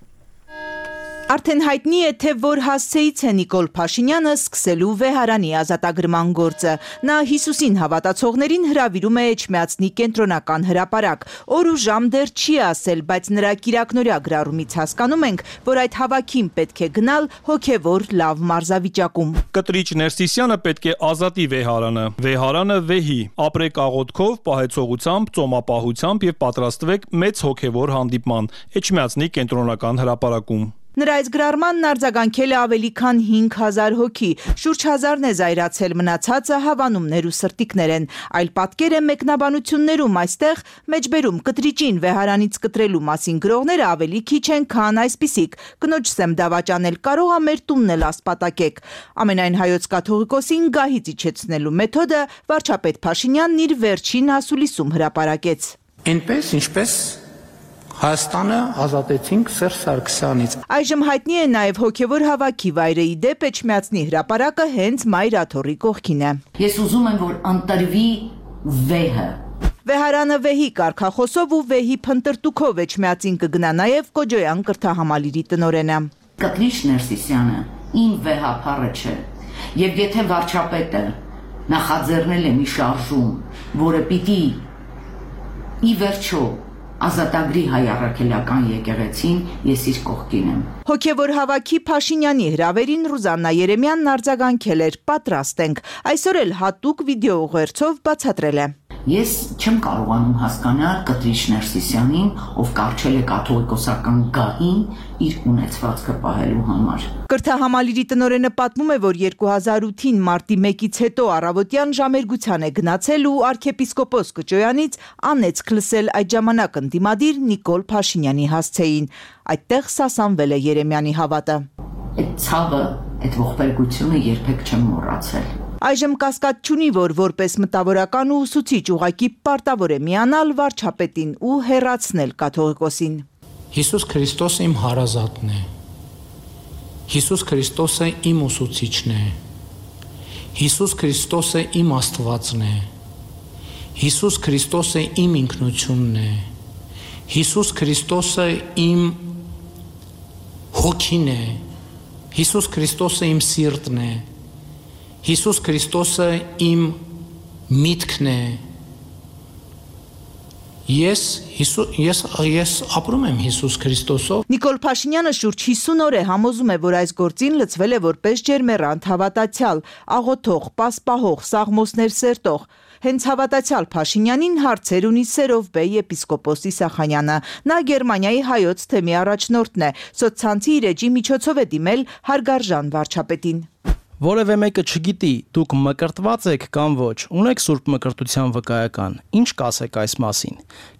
Արդեն հայտնի է, թե որ հասցեից է Նիկոլ Փաշինյանը սկսելու վեհարանի ազատագրման գործը։ Նա Հիսուսին հավատացողներին հրավիրում է Էջմիածնի կենտրոնական հրապարակ։ Օր ու ժամ դեռ չի ասել, բայց նրա կիրակնօրյա գրառումից հասկանում ենք, որ այդ հավաքին պետք է գնալ հոգևոր լավ մարզավիճակում։ Կտրիչ Ներսիսյանը պետք է ազատի վեհարանը։ Վեհարանը վեհի։ Ապրեք աղոթքով, պահեցողությամբ, ծոմապահությամբ եւ պատրաստվեք մեծ հոգևոր հանդիպման Էջմիածնի կենտրոնական հրապարակում։ Նրա այս գրառմանն արձագանքել է ավելի քան հինգ հազար հոգի, շուրջ հազարն է զայրացել, մնացածը հավանումներ ու սրտիկներ են, այլ պատկեր է մեկնաբանություններում այստեղ մեջբերում կտրիճին վեհարանից կտրելու մասին գրողները ավելի քիչ են, քան այսպիսիք, կնոջ սեմ դավաճանել կարող ա մեր տունն էլ ասպատակեք։ Ամենայն հայոց կաթողիկոսին գահից իջեցնելու մեթոդը վարչապետ Փաշինյանն իր վերջին ասուլիսում հրապարակեց։ Այնպես ինչպես Հայաստանը ազատեցինք Սերժ Սարգսյանից։ Այժմ հայտնի է նաև հոգևոր հավաքի վայրը, ի դեպ Էջմիածնի հրապարակը հենց Մայր Աթոռի կողքին է։ Ես ուզում եմ, որ ընտրվի վեհը։ Վեհարանը վեհի կարգախոսով ու վեհի փնտրտուքով Էջմիածին կգնա նաև Կոջոյան կրթահամալիրի տնօրենը։ Կտրիչ Ներսիսյանը իմ վեհափառը չէ, եւ եթե վարչապետը նախաձեռնել է մի շարժում, որը պիտի ի վերջո ազատագրի հայ առաքելական եկեղեցին, ես իր կողքին եմ։ Հոգևոր հավաքի Փաշինյանի հրավերին Ռուզաննա Երեմյանն արձագանքել էր, պատրաստ ենք, այսօր էլ հատուկ վիդեո ուղերձով բացատրել է։ Ես չեմ կարողանում հասկանալ Կտրիչ Ներսիսյանին, ով կարճել է կաթողիկոսական գահին իր ունեցվածքը պահելու համար։ Կրթահամալիրի տնօրենը պատմում է, որ երկու հազար ութին մարտի մեկից հետո առավոտյան ժամերգության է գնացել ու arczepiskopos Կոջոյանից անեծք լսել այդ ժամանակ ընդդիմադիր Նիկոլ Փաշինյանի հասցեին։ Այդտեղ սասանվել է Երեմյանի հավատը։ Այդ ցավը, այդ ողբերգությունը երբեք չեմ մոռացել։ Այժմ կասկած չունի, որ որպես մտավորական ու ուսուցիչ ուղակի պարտավոր է միանալ վարչապետին ու հեռացնել կաթողիկոսին։ Հիսուս Քրիստոսը իմ հարազատն է։ Հիսուս Քրիստոսը իմ ուսուցիչն է։ Հիսուս Քրիստոսը իմ Աստվածն է։ Հիսուս Քրիստոսը իմ ինքնությունն է։ Հիսուս Քրիստոսը իմ հոգին է։ Հիսուս Քրիստոսը իմ սիրտն է։ Հիսուս Քրիստոսը իմ միտքն է։ Ես ես ես ապրում եմ Հիսուս Քրիստոսով։ Նիկոլ Փաշինյանը շուրջ հիսուն օր է համոզում է, որ այս գործին լծվել է որպես ջերմեռանդ հավատացյալ, աղոթող, պասպահող, սաղմոսներ սերտող։ Հենց հավատացյալ Փաշինյանին հարցեր ունի Սերովբե եպիսկոպոս Իսախանյանը։ Նա Գերմանիայի հայոց թեմի առաջնորդն է, սոցցանցի իր էջի միջոցով է դիմել հարգարժան վարչապետին։ Որևէ մեկը չգիտի, դուք մկրտված եք կամ ոչ, ունեք սուրբ մկրտության վկայական, ինչ կասեք այս մասին։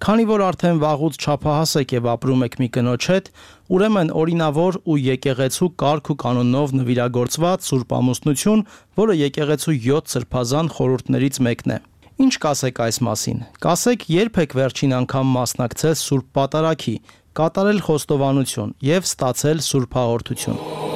Քանի որ արդեն վաղուց չափահաս եք եւ ապրում եք մի կնոջ հետ, ուրեմն օրինավոր ու եկեղեցու կարգ ու կանոնով նվիրագործված սուրբ ամուսնություն, որը եկեղեցու յոթ սրբազան խորհուրդներից մեկն է։ Ինչ կասեք այս մասին։ Կասեք, երբ եք վերջին անգամ մասնակցել սուրբ պատարագի, կատարել խոստովանություն եւ ստացել սուրբ հաղորդություն։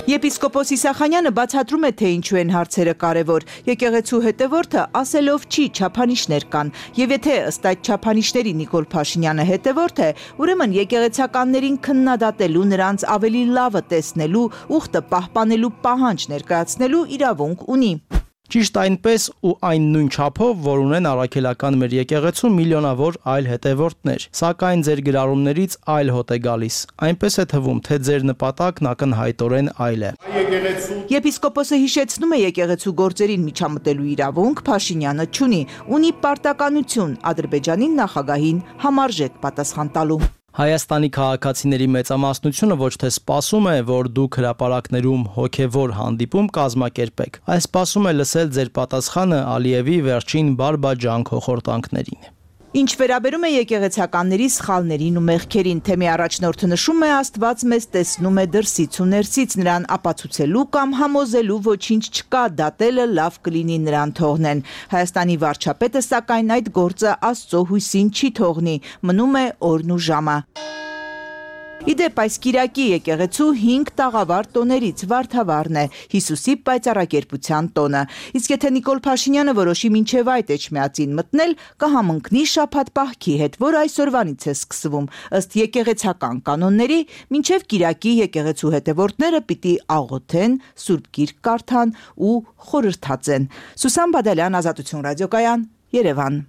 Եպիսկոպոս Իսախանյանը բացատրում է, թե ինչու են հարցերը կարևոր։ Եկեղեցու հետևորդը ասելով չի, չափանիշներ կան, եւ եթե ըստ այդ չափանիշների Նիկոլ Փաշինյանը հետևորդ է, ուրեմն եկեղեցականներին քննադատելու, նրանց ավելի լավը տեսնելու, ուխտը պահպանելու պահանջ ներկայացնելու իրավունք ունի։ Ճիշտ այնպես ու այն նույն չափով, որ ունեն առաքելական մեր եկեղեցու միլիոնավոր այլ հետևորդներ, սակայն ձեր գրառումներից այլ հոտ է գալիս։ Այնպես է թվում, թե ձեր նպատակն ակնհայտորեն այլ է։ Եպիսկոպոսը հիշեցնում է եկեղեցու գործերին միջամտելու իրավունք Փաշինյանը չունի, ունի պարտականություն Ադրբեջանի նախագահին համարժեք պատասխան տալու։ Հայաստանի քաղաքացիների մեծամասնությունը ոչ թե սպասում է, որ դուք հրապարակներում հոգևոր հանդիպում կազմակերպեք, այլ սպասում է լսել ձեր պատասխանը Ալիևի վերջին բարբաջան խորհրդանքներին։ Ինչ վերաբերում է եկեղեցականների սխալներին ու մեղքերին, թեմի առաջնորդը նշում է Աստված մեզ տեսնում է դրսից ու ներսից, նրան ապացուցելու կամ համոզելու ոչինչ չկա, դատելը լավ կլինի նրան թողնեն։ Հայաստանի վարչապետը սակայն այդ գործը Աստծո հույսին չի թողնի, մնում է օրն ու ժամը։ Իդեպ այս Կիրակի եկեղեցու հինգ տաղավար տոներից Վարդավառն է, Հիսուսի պայծառակերպության տոնը։ Իսկ եթե Նիկոլ Փաշինյանը որոշի մինչև այդ էջմիածին մտնել, կհամընկնի շաբաթ պահքի հետ, որ այսօրվանից է սկսվում։ Ըստ եկեղեցական կանոնների, մինչև Կիրակի եկեղեցու հետևորդները պիտի աղոթեն, Սուրբ Գիրք կարդան ու խորհրդածեն։ Սուսան Բադալյան, Ազատություն ռադիոկայան, Երևան։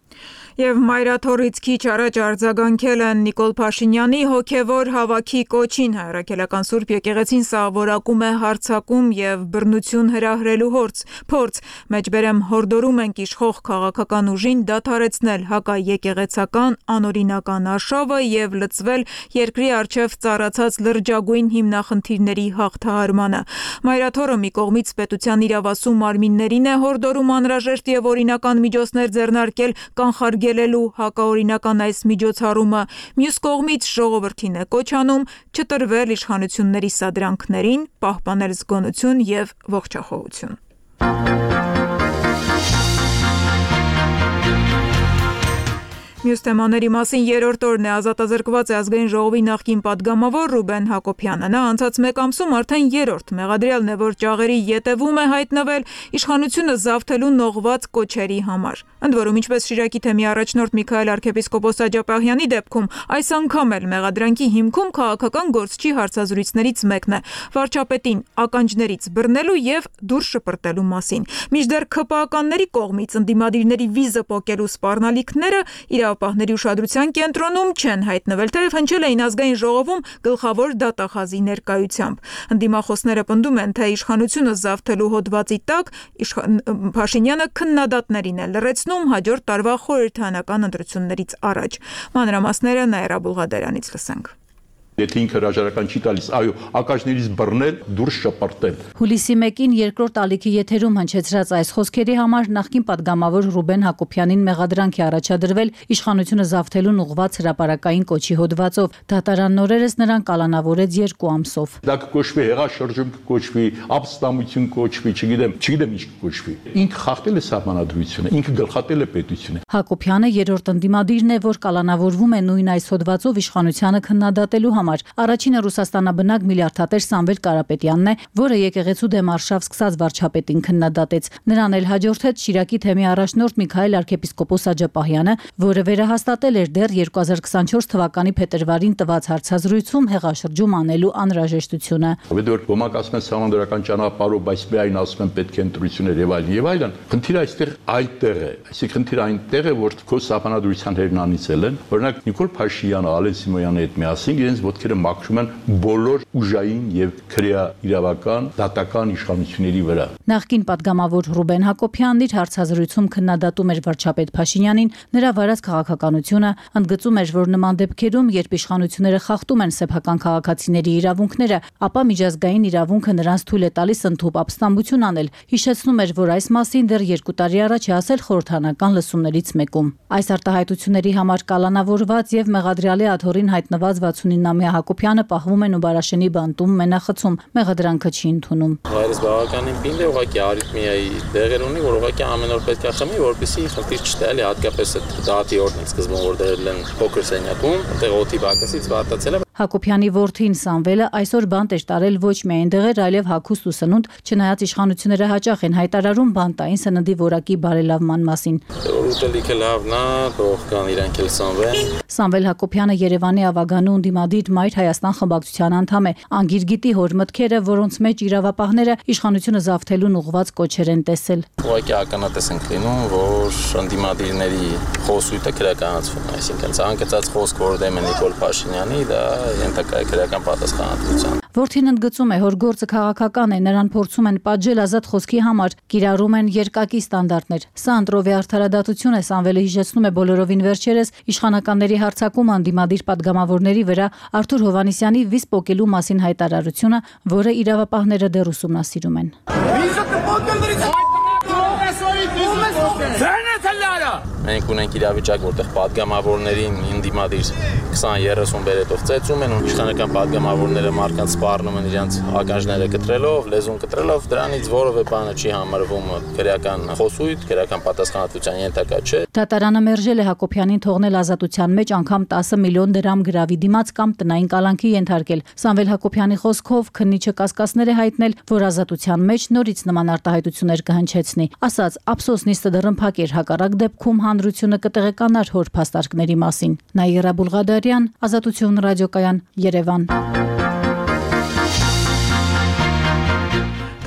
Եվ մայրաթորից քիչ առաջ արձագանքել են Նիկոլ Փաշինյանի հոգևոր հավաքի կոչին։ Հայրաքելական Սուրբ եկեղեցին սա որակում է հարձակում եւ բռնություն հրահրելու հորց, փորձ։ Մեջբերեմ հորդորում ենք իշխող քաղաքական ուժին դադարեցնել հակաեկեղեցական անօրինական արշավը եւ լծվել երկրի առջև ծառացած լրջագույն հիմնախնդիրների հաղթահարմանը։ Մայրաթորը մի կողմից պետության իրավասու մարմիններին է հորդորում անհրաժեշտ եւ օրինական միջոցներ ձեռնարկել կանխարգելելու հակաօրինական այս միջոցառումը, մյուս կողմից ժողովրդին է կոչ անում չտրվել իշխանությունների սադրանքներին, պահպանել զգոնություն եւ ողջախոհություն։ Մյուս թեմաների մասին երրորդ օրն է ազատազրկված է ազգային ժողովի նախկին падգամավոր Ռուբեն Հակոբյանը։ Նա անցած մեկ ամսում արդեն երրորդ մեղադրյալն է, որ ճաղերի ետևում է հայտնվել իշխանությունը զավթելու նողված կոչերի համար։ Ընդ որում, ինչպես Շիրակի թեմի առաջնորդ Միքայել arczepiskopos Աջապահյանի դեպքում, այս անգամ էլ մեղադրանքի հիմքում քաղաքական գործչի հարցազրույցներից մեկն է վարչապետին ականջներից բռնելու եւ դուրս շպրտելու մասին։ Մինչդեռ ՔՊԱ-ականների կողմից ընդդիմադիրների վիզը պոկելու սպառնալիքները իրավապահների ուշադրության կենտրոնում չեն հայտնվել, թեև հնչել էին ազգային ժողովում գլխավոր դատախազի ներկայությամբ։ Ընդդիմախոսները պնդում են, թե իշխանությունը զավթելու հոդվածի տակ Փաշինյանը քննադատներին է լռեցնում հաջորդ տարվա խորհրդարանական ընտրություններից առաջ։ Մանրամասները Նաիրա Բուլղադարյանից լսենք։ Եթե ինքը հրաժարական չի տալիս, այո, ականջներից բռնել, դուրս շպրտել։ Հուլիսի մեկին երկրորդ ալիքի եթերում հնչեցրած այս խոսքերի համար նախկին падգամավոր Ռուբեն Հակոբյանին մեղադրանք է առաջադրվել իշխանությունը զավթելուն ուղղված հրապարակային կոչի հոդվածով։ Դատարանն օրերս նրան կալանավորեց երկու ամսով։ Դա կկոչվի հեղաշրջում, կկոչվի ապստամություն, կոչվի, չգիտեմ, չգիտեմ ինչ կկոչվի։ Ինքը խախտել է սահմանադրությունը, ինքը գլխատել է պետությունը։ Հակոբյանը երրորդ ընդդիմադիրն է, որ կալանավորվում է նույն այս հոդվածով իշխանությանը քննադատելու համար։ Առաջինը Ռուսաստանաբնակ միլիարդատեր Սամվել Կարապետյանն է, որը եկեղեցու դեմ արշավ սկսած վարչապետին քննադատեց։ Նրան էլ հաջորդեց Շիրակի թեմի առաջնորդ Միքայել arczepiskopos Աջապահյանը, որը վերահաստատել էր դեռ երկու հազար քսանչորս թվականի փետրվարին տված հարցազրույցում հեղաշրջում անելու անհրաժեշտությունը։ Որ ոմանք ասում են սահմանադրական ճանապարհով, բայց միայն ասում են պետք է ընտրություններ եւ այլն եւ այլն։ Խնդիրը այստեղ այդտեղ է, այսինքն խնդիրը այնտեղ է, որ քո սահմանադրության հերն անիցել են։ Օրինակ Նիկոլ Փաշինյանը, Ալեն Սիմոնյանի հետ միասին իրենց ոտքերը մաքրում են բոլոր ուժային եւ քրեա իրավական դատական իշխանությունների վրա։ Նախկին падգամավոր Ռուբեն Հակոբյանն իր հարցազրույցում քննադատում էր վարչապետ Փաշինյանին, նրա վարած քաղաքականությունը, ընդգծում էր, որ նման դեպքերում, երբ իշխանությունները խախտում են սեփական քաղաքացիների իրավունքները, ապա միջազգային իրավունքը նրանց թույլ է տալիս ընդհուպ ապստամբություն անել։ Հիշեցնում էր, որ այս մասին դեռ երկու տարի առաջ է ասել խորհրդարանական լսումներից մեկում։ Այս արտահայտությունների համար կալանավորված եւ մեղադրյալի աթոռին հայտնված վաթսունինամյա Հակոբյանը պահվում են Ուբարաշենի բանտում մենախցում, մեղադրանքը չի ընդունում։ Հայրս բավականին պինդ է, ուղղակի արիթմիայի դեղեր ունի, որ ուղղակի ամեն օր պետք է խմի, որպեսզի խնդիր չտա, հատկապես այդ դատի օրն սկզբում որ դրել են փոքր սենյակում, այնտեղ օդի բակասից վարտացել է։ Հակոբյանի որդին Սամվելը այսօր բանտ էր տարել ոչ միայն դեղեր, այլև հագուստ ու սնունդ, չնայած իշխանությունները հաճախ են հայտարարում բանտային սննդի որակի բարելավման մասին։ Ուտելիքը լավն է, թող կան իրանք էլ սնվեն։ Սամվել Հակոբյանը Երևանի ավագանու ընդդիմադիր Մայր Հայաստան խմբակցության անդամ է։ Անգիր գիտի հոր մտքերը, որոնց մեջ իրավապահները իշխանությունը զավթելուն ուղղված կոչեր են տեսել։ Ուղղակի ականատես ենք լինում, որ ընդդիմադիրների խոսույթը քրականացվում է, այսինքն ցանկացած խոսք, որ դեմ է Նիկոլ Փաշինյանի, դա ենթակա է քրական պատասխանատվության։ Որդին ընդգծում է, որ գործը քաղաքական է, նրան փորձում են պատժել ազատ խոսքի համար, կիրառում են երկակի ստանդարտներ։ Սա ընտրովի արդարադատություն է, Սամվելը հիշեցնում է բոլորովին վերջերս իշխանականների հարձակումը ընդդիմադիր падգամավորների վրա Արթուր Հովհաննիսյանի վիզ պոկելու մասին հայտարարությունը, որը իրավապահները դեռ ուսումնասիրում են։ մենք ունենք իրավիճակ, որտեղ падգամավորներին ինդիմադիր քսան երեսուն բերետով ծեծում են, ու իշխանական падգամավորները մարդկանց սպառնում են իրենց ականջները կտրելով, լեզուն կտրելով, դրանից որևէ բանը չի համարվում քրեական խոսույթ, քրեական պատասխանատվության ենթակա չէ։ Դատարանը մերժել է Հակոբյանին թողնել ազատության մեջ անգամ տասը միլիոն դրամ գրավի դիմաց կամ տնային կալանքի ենթարկել։ Սամվել Հակոբյանի խոսքով քննիչը կասկածներ է հայտնել, որ ազատության մեջ նորից նման արտահայտություններ կհնչեցնի։ Ասաց, ափսոս նիստը դռնփակ էր, հակառակ դեպքում հանրությունը կտեղեկանար հոր փաստարկների մասին։ Նաիրա Բուլղադարյան, Ազատություն ռադիոկայան, Երևան։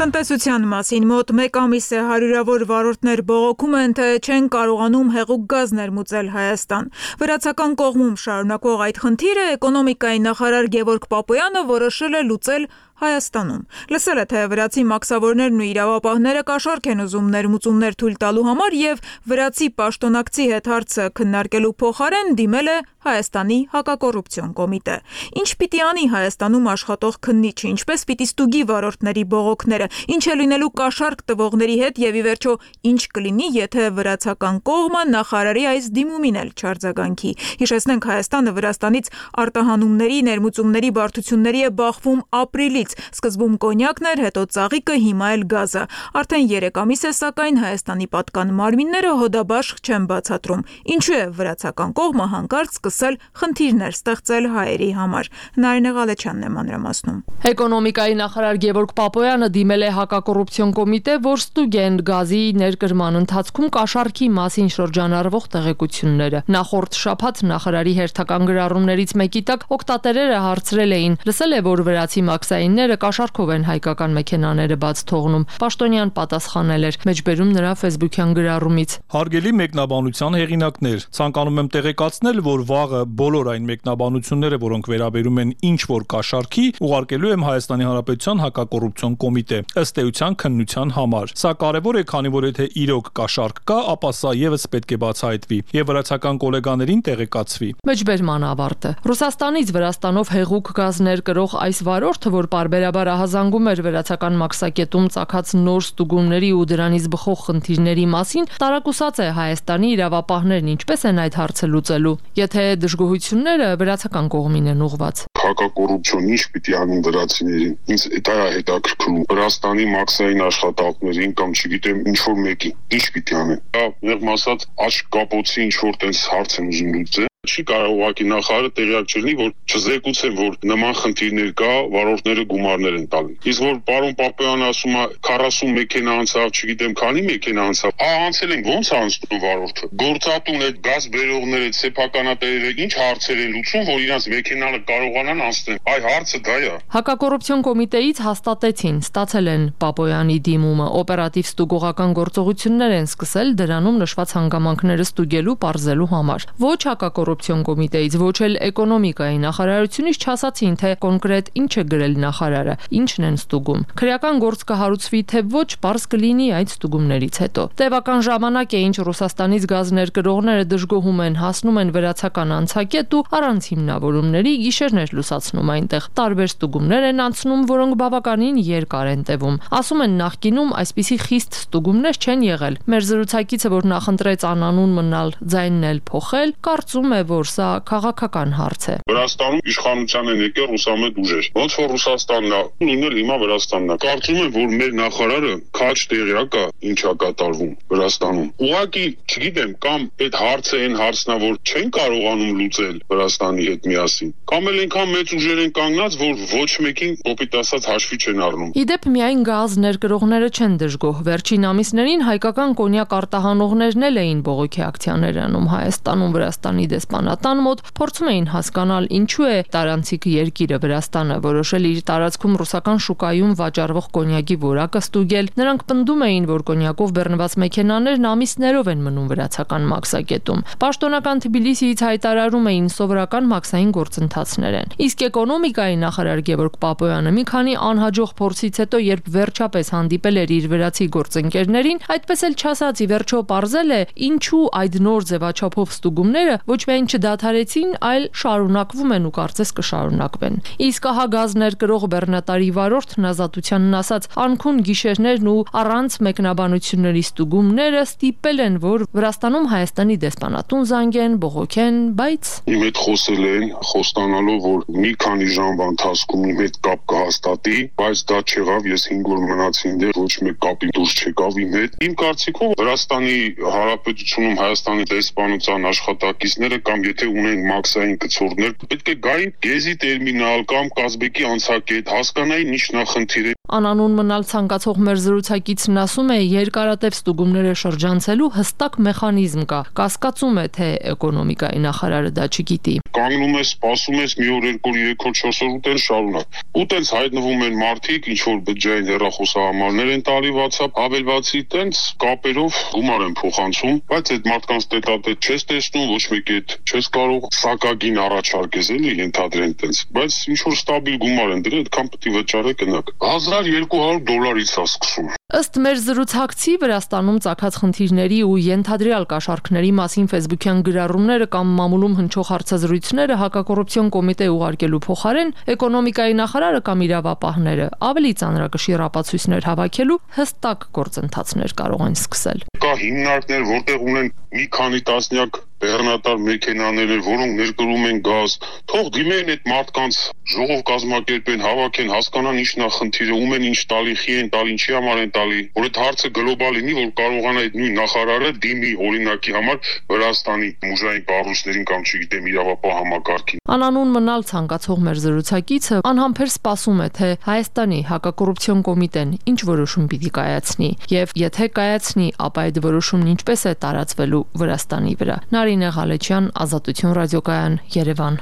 Տնտեսության մասին մոտ մեկ ամիս է հարյուրավոր վարորդներ բողոքում են, թե չեն կարողանում հեղուկ գազ ներմուծել Հայաստան։ Վրացական կողմում շարունակվող այդ խնդիրը էկոնոմիկայի նախարար Գևորգ Պապոյանը որոշել է լուծել Հայաստանում։ Լսել է, թե վրացի մաքսավորներն ու իրավապահները կաշառք են ուզում ներմուծումներ թույլ տալու համար եւ վրացի պաշտոնակցի հետ հարցը քննարկելու փոխարեն դիմել է Հայաստանի հակակոռուպցիոն կոմիտե։ Ինչ պիտի անի Հայաստանում աշխատող քննիչը, ինչպես պիտի ստուգի վարորդների բողոքները, ինչ է լինելու կաշառք տվողների հետ եւ ի վերջո ինչ կլինի, եթե վրացական կողմը նախարարի այս դիմումին էլ չարձագանքի։ Հիշեցնենք, Հայաստանը Վրաստանից արտահանումների, ներմուծումների բարդությունների է բախվում ապրիլից։ Սկզբում կոնյակն էր, հետո ծաղիկը, հիմա էլ գազը։ Արդեն երեք ամիս է, սակայն Հայաստանի պատկան մարմինները հոդաբաշխ չեն բացատրում։ Ինչու է վրացական կողմը հանկարծ սկսել խնդիրներ ստեղծել հայերի համար։ Նարինե Ղալեչյանն է մանրամասնում։ Էկոնոմիկայի նախարար Գևորգ Պապոյանը դիմել է հակակոռուպցիոն կոմիտե, որ ստուգեն գազի ներկրման ընթացքում կաշառքի մասին շրջանառվող տեղեկությունները։ Նախորդ շաբաթ նախարարի հերթական գրառումներից մեկի տակ օգտատերերը հարցրել էին, լսել է, որ վրացի մաքսային կաշառքով են հայկական մեքենաները բաց թողնում։ Պաշտոնյան պատասխանել էր, մեջբերում նրա ֆեյսբուքյան գրառումից։ Հարգելի մեկնաբանության հեղինակներ, ցանկանում եմ տեղեկացնել, որ վաղը բոլոր այն մեկնաբանությունները, որոնք վերաբերում են ինչ որ կաշառքի, ուղարկելու եմ Հայաստանի Հանրապետության հակակոռուպցիոն կոմիտե, ըստ էության քննության համար։ Սա կարևոր է, քանի որ եթե իրոք կաշառք կա, ապա սա եւս պետք է բացահայտվի եւ վրացական գոլեգաներին տեղեկացվի։ Մեջբերման ավարտը։ Ռուսաստանից Վրաստանով հեղուկ գազներ կրող այս վարորդը, որ բարբերաբար ահազանգում էր վրացական մաքսակետում ծագած նոր ստուգումների ու դրանից բխող խնդիրների մասին, տարակուսած է Հայաստանի իրավապահներն ինչպես են այդ հարցը լուծելու, եթե դժգոհությունները վրացական կողմին են ուղղված։ Հակակոռուպցիոն ինչ պիտի անեն վրացիներին։ Ինձ դա է հետաքրքրում։ Վրաստանի մաքսային աշխատողներին կամ չգիտեմ ինչ որ մեկի ինչ պիտի անեն։ Դա մեղմ ասած աչք կապոցի ինչ որ տես հարց են ուզում լուծել։ Չի կարող ուղղակի նախարարը տեղյակ չլինի, որ չզեկուցեն, որ նման խնդիրներ կա, վարորդները գումարներ են տալի։ Իսկ որ պարոն Պապոյանը ասում է քառասուն մեքենա անցավ, չգիտեմ քանի մեքենա անցավ, ահա անցել են, ո՞նց անցնում վարորդը։ Գործատուն այդ գազ բերողները, սեփականատերերը ինչ հարցեր են լուծում, որ իրանց մեքենանը կարողանան անցնել։ Այ հարցը դա է։ Հակակոռուպցիոն կոմիտեից հաստատեցին, ստացել են Պապոյանի դիմումը, օպերատիվ ստուգողական գործողություններ են սկսել դրանում նշված հանգամանքները ստուգելու, պարզելու համար։ Ոչ հակակոռուպցիոն կոմիտեից, ոչ էլ էկոնոմիկայի նախարարությունից չասացին, թե կոնկրետ ինչ է գրել նախարարը, ինչն են ստուգում։ Քրեական գործ կհարուցվի, թե ոչ, պարզ կլինի այդ ստուգումներից հետո։ Տևական ժամանակ է, ինչ Ռուսաստանից գազ ներկրողները դժգոհում են, հասնում են վրացական անցակետ ու առանց հիմնավորումների գիշերներ լուսացնում այնտեղ։ Տարբեր ստուգումներ են անցնում, որոնք բավականին երկար են տևում։ Ասում են, նախկինում այսպիսի խիստ ստուգումներ չեն եղել։ Մեր զրուցակիցը, որ նախընտրեց անանուն մնալ, ձայնն էլ փոխել, կարծում է, որ սա քաղաքական հարց է։ Վրաստանում իշխանության են եկել ռուսամետ ուժեր։ Ոնց որ Ռուսաստանն է, նույնն հիմա Վրաստանն է։ Կարծում եմ, որ մեր նախարարը քաչ տեղյակ է ինչա կատարվում Վրաստանում։ Ուղղակի, չգիտեմ, կամ այդ հարցը այն հարցն է, որ չեն կարողանում լուծել Վրաստանի հետ միասին, կամ էլ այնքան մեծ ուժեր են կանգնած, որ ոչ մեկին կոպիտ ասած հաշվի չեն առնում։ Իդեպ միայն գազ ներկրողները չեն դժգոհ։ Վերջին ամիսներին հայկական կոնյակ արտահանողներն էլ էին բողոքի ակցիաներ անում Հայաստանում, Վրաստանի դեսպանատան մոտ, փորձում էին հասկանալ ինչու է տարանցիկ երկիրը Վրաստանը որոշել իր տարածքում ռուսական շուկայում վաճառվող կոնյակի որակը ստուգել։ Նրանք պնդում էին, որ կոնյակով բեռնված մեքենաներն ամիսներով են մնում վրացական մաքսակետում։ Պաշտոնական Թբիլիսիից հայտարարում էին սովորական մաքսային գործընթացներ են։ Իսկ էկոնոմիկայի նախարար Գևորգ Պապոյանը մի քանի անհաջող փորձից հետո, երբ վերջապես հանդիպել էր իր վրացի գործընկերներին, այդպես էլ չասած ի վերջո պարզել է, ինչու այդ նոր ձևաչափով ստուգումները ոչ միայն չդադարեցին, այլ շարունակվում են ու կարծես կշարունակվեն։ Իսկ ահա գազ ներկրող բեռնատարի վարորդն Ազատությանն ասաց, անքուն գիշերներն ու առանց մեկնաբանությունների ստուգումները ստիպել են, որ Վրաստանում Հայաստանի դեսպանատուն զանգեն, բողոքեն, բայց իմ հետ խոսել են, խոստանալով, որ մի քանի ժամվա ընթացքում իմ հետ կապ կհաստատի, բայց դա չեղավ, ես հինգ օր մնացի այնտեղ, ոչ մեկ կապի դուրս չեկավ իմ հետ։ Իմ կարծիքով Վրաստանի Հանրապետությունում Հայաստանի դեսպանության աշխատակիցները կամ եթե ունեն մաքսային կցորդներ, պետք է գային գեզի տերմինալ կամ Կազբեկի անցակետ, հասկանային ինչ նախնդիր է։ Անանուն մնալ ցանկացող մեր զրուցակիցն ասում է, երկարատև ստուգումները շրջանցելու հստակ մեխանիզմ կա։ Կասկածում է, թե էկոնոմիկայի նախարարը դա չգիտի։ Կանգնում ես, սպասում ես մի օր, երկու օր, երեք օր, չորս օր ուտեն շարունակ։ Ու տենց հայտնվում են մարդիկ, ինչ որ բջջային հեռախոսահամարներ են տալի WhatsApp, հավելվածի տենց կապերով գումար են փոխանցում, բայց այդ մարդկանց տետատետ չես տեսնում, ոչ մեկի հետ չես կարող սակագին առաջարկես էլի ենթադրեն տենց, բայց ինչ որ ստաբիլ գումար են դրել, այդքան պետք է վճարեք գնաք։ հազար երկու հարյուր դոլարից է սկսում։ Ըստ մեր զրուցակցի Վրաստանում ծագած խնդիրների ու ենթադրյալ կաշառքների մասին ֆեյսբուքյան գրառումները կամ մամուլում հնչող հարցազրույցները հակակոռուպցիոն կոմիտե ուղարկելու փոխարեն էկոնոմիկայի նախարարը կամ իրավապահները ավելի ծանրակշիռ ապացույցներ հավաքելու հստակ գործընթացներ կարող են սկսել։ Կա հիմնարկներ, որտեղ ունեն մի քանի տասնյակ բեռնատար մեքենաներ, որոնք ներկրում են գազ, թող դիմեն այդ մարդկանց ժողով կազմակերպեն, հավաքեն, հասկանան ինչ նախնդիրը, ում են ինչ տալի, խի են տալի, ինչի համար են տալի, որ այդ հարցը գլոբալ լինի, որ կարողանա այդ նույն նախարարը դիմի օրինակի համար Վրաստանի ուժային կառույցներին կամ չգիտեմ իրավապահ համակարգին։ Անանուն մնալ ցանկացող մեր զրուցակիցը անհամբեր սպասում է, թե Հայաստանի հակակոռուպցիոն կոմիտեն ինչ որոշում պիտի կայացնի, եւ եթե կայացնի, ապա այդ որոշումն ինչպես է տարածվելու Վրաստանի վրա։ Նարինե Ղալեչյան, Ազատություն ռադիոկայան, Երևան։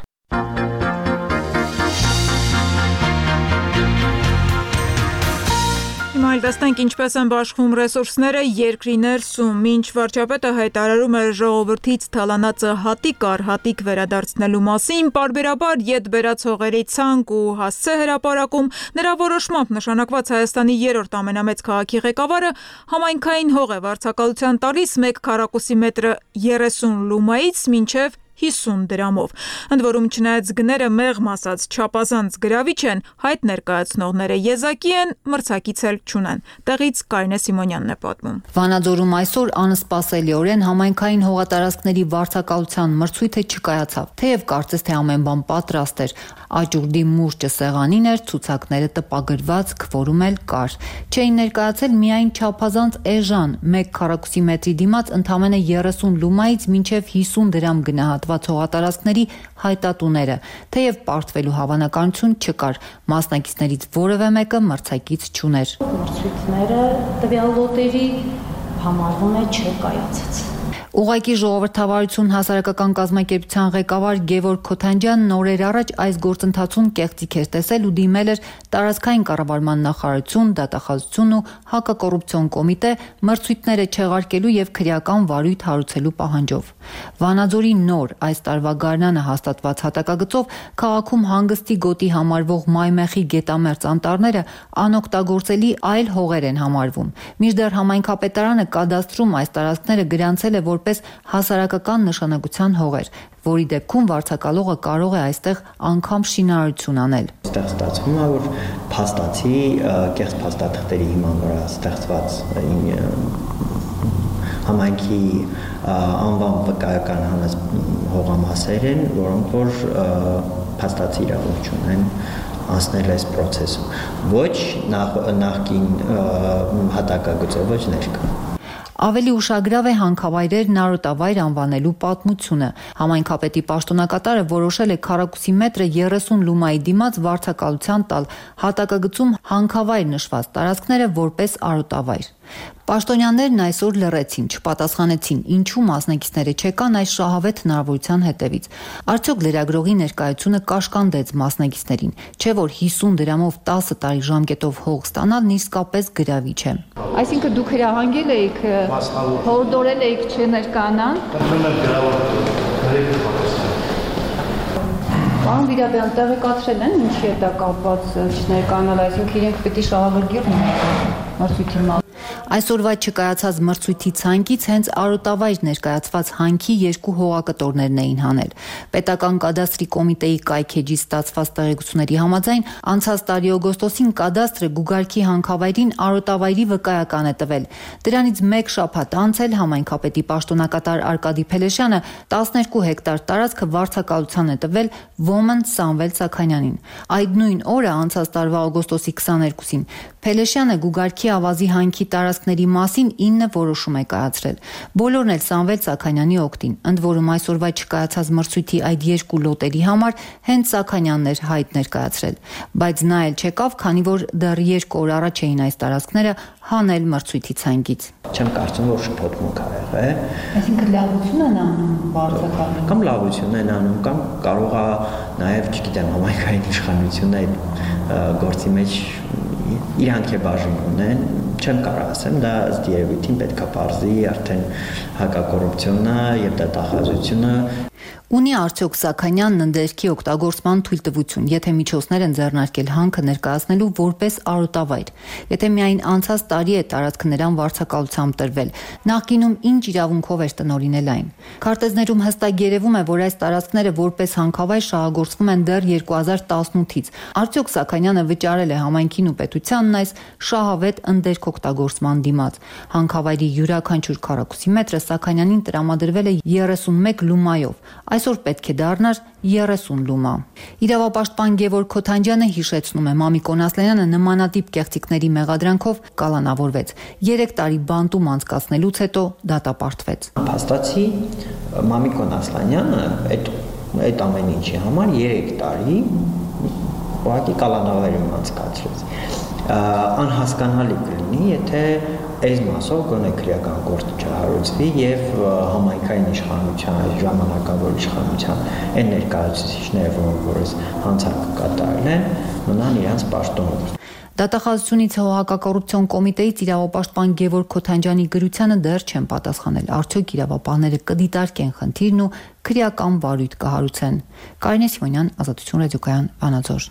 Հիմա էլ տեսնենք ինչպես են բաշխվում ռեսուրսները երկրի ներսում, ինչ վարչապետը հայտարարում է ժողովրդից թալանածը հատիկ առ հատիկ վերադարձնելու մասին, պարբերաբար ետ բերած հողերի ցանկ ու հասցե հրապարակում, նրա որոշմամբ նշանակված Հայաստանի երրորդ ամենամեծ քաղաքի ղեկավարը համայնքային հող է վարձակալության տալիս մեկ քառակուսի մետրը երեսուն լումայից մինչև հիսուն դրամով։ Ընդ որում չնայած գները մեղմ ասած չափազանց գրավիչ են, հայտ ներկայացնողները եզակի են, մրցակից էլ չունեն։ Տեղից Կարինե Սիմոնյանն է պատմում։ Վանաձորում այսօր անսպասելիորեն համայնքային հողատարածքների վարձակալության մրցույթը չկայացավ, թեև կարծես թե ամեն բան պատրաստ էր։ Աճուրդի մուրճը սեղանին էր, ցուցակները տպագրված, քվորում էլ կար։ Չէին ներկայացել միայն չափազանց էժան մեկ քառակուսի մետրի դիմաց ընդամենը երեսուն լումայից մինչև հիսուն դրամ գնահատված հողատարածքների հայտատուները, թեև պարտվելու հավանականություն չկար, մասնակիցներից որևէ մեկը մրցակից չուներ։ Մրցույթները տվյալ լոտերի համարվում է չկայացած։ Ուղղակի ժողովրդավարություն հասարակական կազմակերպության ղեկավար Գևորգ Քոթանջյանն օրեր առաջ այս գործընթացում կեղծիք էր տեսել ու դիմել էր տարածքային կառավարման նախարարություն, դատախազություն ու հակակոռուպցիոն կոմիտե մրցույթները չեղարկելու եւ քրեական վարույթ հարուցելու պահանջով։ Վանաձորի նոր այս տարվա գարնանը հաստատված հատակագծով քաղաքում հանգստի գոտի համարվող մայմեխի գետամերձ անտառները անօգտագործելի այլ հողեր են համարվում։ Մինչդեռ համայնքապետարանը կադաստրում այս տարածքները գրանցել է որպես հասարակական նշանակության հողեր, որի դեպքում վարձակալողը կարող է այստեղ անգամ շինարարություն անել։ Այստեղ ստացվում է, որ փաստացի կեղծ փաստաթղթերի հիման վրա ստեղծված համայնքի անվան վկայական հանած հողամասեր են, որոնք որ փաստացի իրավունք չունեն անցնել այս process-ում։ Ոչ նախկին հատակագծով, ոչ ներկա։ Ավելի ուշագրավ է հանքավայրերն արոտավայր անվանելու պատմությունը։ Համայնքապետի պաշտոնակատարը որոշել է քառակուսի մետրը երեսուն լումայի դիմաց վարձակալության տալ, հատակագծում հանքավայր նշված տարածքները որպես արոտավայր։ Պաշտոնյաներն այսօր լռեցին, չպատասխանեցին, ինչու մասնակիցները չեկան այս շահավետ հնարավորության հետևից։ Արդյոք լրագրողի ներկայությունը կաշկանդեց մասնակիցներին, չէ՞ որ հիսուն դրամով տասը տարի ժամկետով հող ստանալն իսկապես գրավիչ է։ Այսինքն դուք հրահանգել էիք, հորդորել էիք չներկանալ։ Պարոն Վիրաբյան, տեղեկացրել են ինչի հետ կապված չներկանալ, այսինքն իրենք պիտի շահագրգիռ մրցույթի։ Այսօրվա չկայացած մրցույթի ցանկից հենց Արոտավայր ներկայացված հանքի երկու հողակտորներն էին հանել։ Պետական կադաստրի կոմիտեի կայքեջից ստացված տեղեկությունների համաձայն անցած տարի օգոստոսին կադաստրը Գուգարքի հանքավայրին Արոտավայրի վկայական է տվել։ Դրանից մեկ շաբաթ անց էլ համայնքապետի պաշտոնակատար Արկադի Փելեշյանը տասներկու հեկտար տարածքը վարձակալության է տվել Ոմն Սամվել Սաքանյանին։ Այդ նույն օրը անցած տարվա օգոստոսի քսաներկուսին Փելեշյանը Գուգարքի ավազի հանքի տարածքների մասին ինը որոշում է կայացրել։ Բոլորն էլ Սամվել Սաքանյանի օգտին, ընդ որում այսօրվա չկայացած մրցույթի այդ երկու լոտերի համար հենց Սաքանյանն էր հայտ ներկայացրել, բայց նա էլ չեկավ, քանի որ դեռ երկու օր առաջ էին այս տարածքները հանել մրցույթի ցանկից։ Չեմ կարծում, որ շփոթմունք ա եղել։ Այսինքն լավություն են անում վարձակալում։ Կամ լավություն են անում, կամ կարող է նաև, չգիտեմ, համայնքային իշխանությունը գործի մեջ իրանք է բաժին ունեն, չեմ կարող ասեմ, դա ըստ երևույթին պետք է բարձի արդեն հակակոռուպցիոնը եւ դատախազությունը։ Ունի արդյոք Սաքանյանն ընդերքի օգտագործման թույլտվություն, եթե միջոցներ են ձեռնարկել հանքը ներկայացնելու որպես արոտավայր, եթե միայն անցած տարի է տարածքը նրան վարձակալությամբ տրվել, նախկինում ինչ իրավունքով էր տնօրինել այն։ Քարտեզներում հստակ երևում է, որ այս տարածքները որպես հանքավայր շահագործվում են դեռ երկու հազար տասնութից։ Արդյոք Սաքանյանը վճարել է համայնքին ու պետությանն այս շահավետ ընդերք օգտագործման դիմաց։ Հանքավայրի յուրաքանչյուր քառակուսի մետրը Սաքանյանին տրամադրվել է երեսունմեկ լումայով։ Այսօր պետք է դառնար երեսուն լումա։ Իրավապաշտպան Գևորգ Քոթանջյանը հիշեցնում է, Մամիկոն Ասլանյանը նմանատիպ կեղծիքների մեղադրանքով կալանավորվեց։ Երեք տարի բանտում անցկացնելուց հետո դատապարտվեց։ Փաստացի Մամիկոն Ասլանյանը այդ այդ ամեն ինչի համար երեք տարի ուղղակի կալանավորում անցկացրեց։ Անհասկանալի կլինի, եթե այս մասով գոնե քրեական գործ չհարուցվի եւ համայնքային իշխանության, ժամանակավոր իշխանության այն ներկայացուցիչները, որոնք որս հանցանք կատարել են, մնան իրենց պաշտոնով։ Դատախազությունից հողակակոռուպցիոն կոմիտեից իրավապաշտպան Գևորգ Քոթանջյանի գրությանը դեռ չեն պատասխանել, արդյոք իրավապահները կդիտարկեն խնդիրն ու քրեական վարույթ կհարուցեն։ Կարինե Սիմոնյան, Ազատություն ռադիոկայան, Վանաձոր։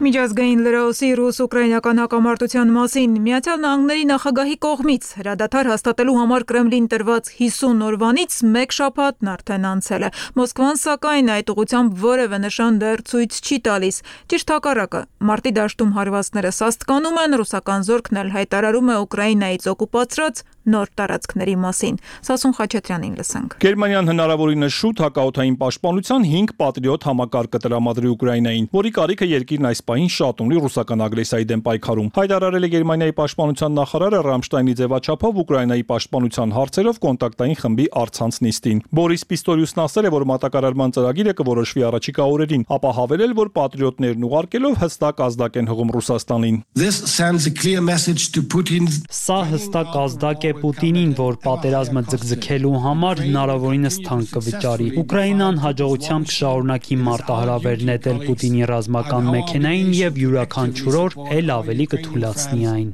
Միջազգային լրահոսի ռուս-ուկրաինական հակամարտության մասին Միացյալ Նահանգների նախագահի կողմից հրադադար հաստատելու համար Կրեմլին տրված հիսուն օրվանից մեկ շաբաթն արդեն անցել է։ Մոսկվան սակայն այդ ուղղությամբ որևէ նշան դեռ ցույց չի տալիս։ Ճիշտ հակառակը, մարտի դաշտում հարվածները սաստկանում են, ռուսական զորքն էլ հայտարարում է Ուկրաինայից օկուպացրած նոր տարածքների մասին։ Սասուն Խաչատրյանին լսենք։ Գերմանիան հնարավորինս շուտ հակաօդային պաշտպանության հինգ պատրիոտ համակարգ կտրամադրի Ուկրաինային, որի կարիքը երկիրն այս պահին շատ ունի ռուսական ագրեսիայի դեմ պայքարում։ Հայտարարել է Գերմանիայի պաշտպանության նախարարը Ռամշտայնի ձևաչափով Ուկրաինայի պաշտպանության հարցերով կոնտակտային խմբի առցանց նիստին։ Բորիս Պիստորիուսն ասել է, որ մատակարարման ծրագիրը կորոշվի առաջիկա օրերին, ապա հավելել, որ պատրիոտներն ուղարկելով հստակ ազդակ են հղում Ռուսաստանին։ Սա հստակ ազդակ է Պուտինին, որ պատերազմը ձգձգելու համար հնարավորինս թանկ կվճարի։ Ուկրաինան հաջողությամբ կշարունակի մարտահրավեր նետել Պուտինի ռազմական մեքենային եւ յուրաքանչյուր օր էլ ավելի կթուլացնի այն։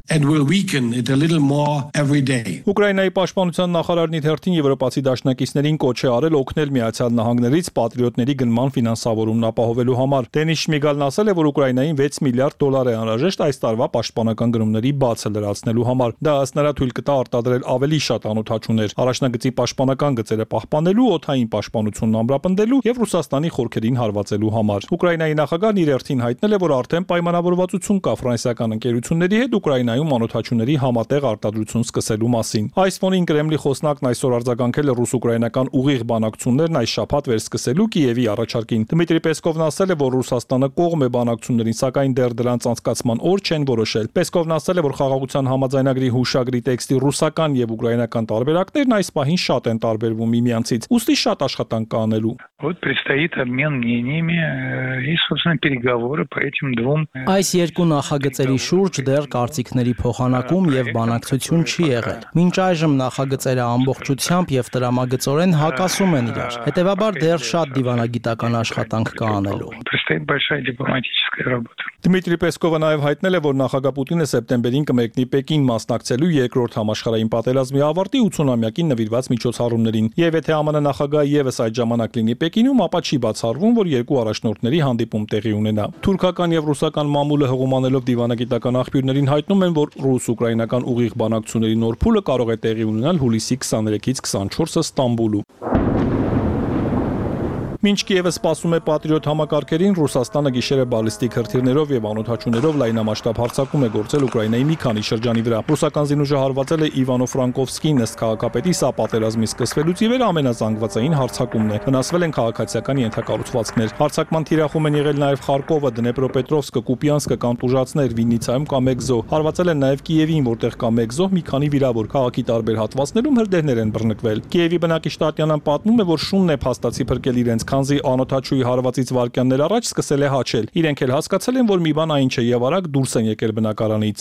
Ուկրաինայի պաշտպանության նախարարն իր հերթին եվրոպացի դաշնակիցներին կոչ է արել օգնել Միացյալ Նահանգներից պատրիոտների գնման ֆինանսավորումն ապահովելու համար։ Դենիս Շմիգալն ասել է, որ Ուկրաինային վեց միլիարդ դոլար է անհրաժեշտ այս տարվա պաշտպանական գնումների բացը լրացնելու համար։ Դա ըստ նրա թույլ կտա արտադրել ավելի շատ անօդաչուներ, առաջնագծի պաշտպանական գծերը պահպանելու, օդային պաշտպանությունն ամրապնդելու եւ Ռուսաստանի խորքերին հարվածելու համար։ Ուկրաինայի նախագահն իր հերթին հայտնել է, որ արդեն պայմանավորվածություն կա ֆրանսիական ընկերությունների հետ Ուկրաինայում անօդաչուների համատեղ արտադրություն սկսելու մասին։ Այս ֆոնին Կրեմլի խոսնակն այսօր արձագանքել է ռուս-ուկրաինական ուղիղ բանակցություններն այս շաբաթ վերսկսելու Կիևի առաջարկին։ Դմիտրի Պեսկովն ասել է, որ Ռուսաստանը կողմ է բանակցություններին, սակայն դեռ դրանց անցկացման օր չեն որոշել։ Պեսկովն ասել է, որ խաղաղության համաձայնագրի հուշագրի տեքստի ռուսական եւ ուկրաինական տարբերակներն այս պահին շատ են տարբերվում միմյանցից։ Ուստի շատ աշխատանք կա անելու։ Вот предстоит обмен мнениями и, собственно, переговоры по этим двум. Այս երկու նախագծերի շուրջ դեռ կարծիքների փոխանակում եւ բանակցություն չի եղել։ Մինչ այժմ նախագծերը ամբողջությամբ եւ տրամագծորեն հակասում են իրար։ Հետևաբար դեռ շատ դիվանագիտական աշխատանք կա անելու։ Предстоит большая дипломатическая работа. Դմիտրի Պեսկովը նաև հայտնել է, որ նախագահ Պուտինը սեպտեմբերին կմեկնի Պեկին մասնակցելու երկրորդ համաշխարհային Վերջին պատերազմի ավարտի ութսունամյակին նվիրված միջոցառումներին։ Եվ եթե ԱՄՆ նախագահը եւս այդ ժամանակ լինի Պեկինում, ապա չի բացառվում, որ երկու առաջնորդների հանդիպում տեղի ունենա։ Թուրքական եւ ռուսական մամուլը հղումանելով դիվանագիտական աղբյուրներին հայտնում են, որ ռուս-ուկրաինական ուղիղ բանակցությունների նոր փուլը կարող է տեղի ունենալ հուլիսի քսաներեքից քսանչորսը Ստամբուլում։ Մինչ Կիևը սպասում է Պատրիոտ համակարգերին, Ռուսաստանը գիշերը բալիստիկ հրթիռներով եւ անօդաչուներով լայնամասշտաբ հարձակում է գործել Ուկրաինայի մի քանի շրջանի վրա։ Ռուսական զինուժը հարվածել է Իվանո-Ֆրանկովսկին, ըստ քաղաքապետի, սա պատերազմի սկսվելուց ի վեր ամենազանգվածային հարձակումն է։ Վնասվել են քաղաքացիական ենթակառուցվածքներ։ Հարձակման թիրախում են եղել նաեւ Խարկովը, Դնեպրոպետրովսկը, Կուպյանսկը կամ Տուժացներ, Վիննիցայում կա մեկ զոհ։ Հարվածել են նաեւ Կիևին, որտեղ կա մեկ զոհ, մի քանի վիրավոր։ Քաղաքի տարբեր հատվածներում հրդեհներ են բռնկվել։ Կիևի բնակիչ Տատյանան պատմում է, որ շունն է փաստացի փրկել իրենց, քանզի անօդաչուի հարվածից վայրկյաններ առաջ սկսել է հաչել։ Իրենք էլ հասկացել են, որ մի բան այն չէ եւ արագ դուրս են եկել բնակարանից։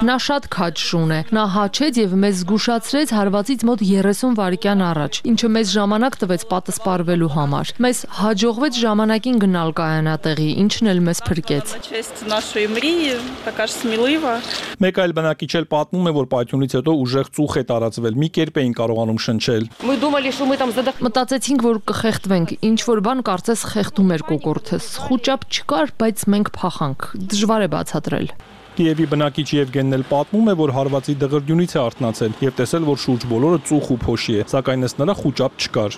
Նա շատ քաջ շուն է։ Նա հաչեց եւ մեզ զգուշացրեց հարվածից մոտ երեսուն վայրկյան առաջ, ինչը մեզ ժամանակ տվեց պատասպարվելու համար։ Մեզ հաջողվեց ժամանակին գնալ կայանատեղի, ինչն էլ մեզ փրկեց։ Մեկ այլ բնակիչ էլ պատմում է, որ պայթյունից հետո ուժեղ ծուխ է տարածվել, մի կերպ էին կարողանում շնչել։ Մտածեցինք, որ կխեղդվենք, ինչ որ բան կարծես խեղդում էր կոկորդս։ Խուճապ չկար, բայց մենք փախանք։ Դժվար է բացատրել։ Կիևի բնակիչ Եվգենն էլ պատմում է, որ հարվածի դղրդյունից է արթնացել եւ տեսել, որ շուրջ բոլորը ծուխ ու փոշի է, սակայն ըստ նրա խուճապ չկար։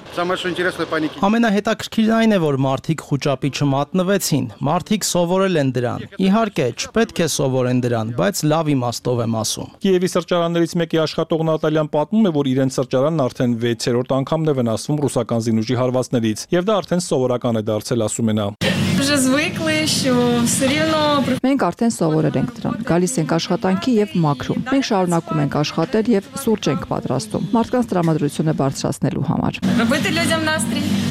Ամենահետաքրքիրն այն է, որ մարդիկ խուճապի չմատնվեցին, մարդիկ սովորել են դրան։ Իհարկե, չպետք է սովորեն դրան, բայց լավ իմաստով եմ ասում։ Կիևի սրճարաններից մեկի աշխատող Նատալյան պատմում է, որ իրենց սրճարանն արդեն վեցերորդ անգամն է վնասվում ռուսական զինուժի հարվածներից, եւ դա արդեն սովորական է դարձել, ասում է նա։ Մենք արդեն սովորել ենք դրան, գալիս ենք աշխատանքի եւ մաքրում։ Մենք շարունակում ենք աշխատել եւ սուրճ ենք պատրաստում, մարդկանց տրամադրությունը բարձրացնելու համար։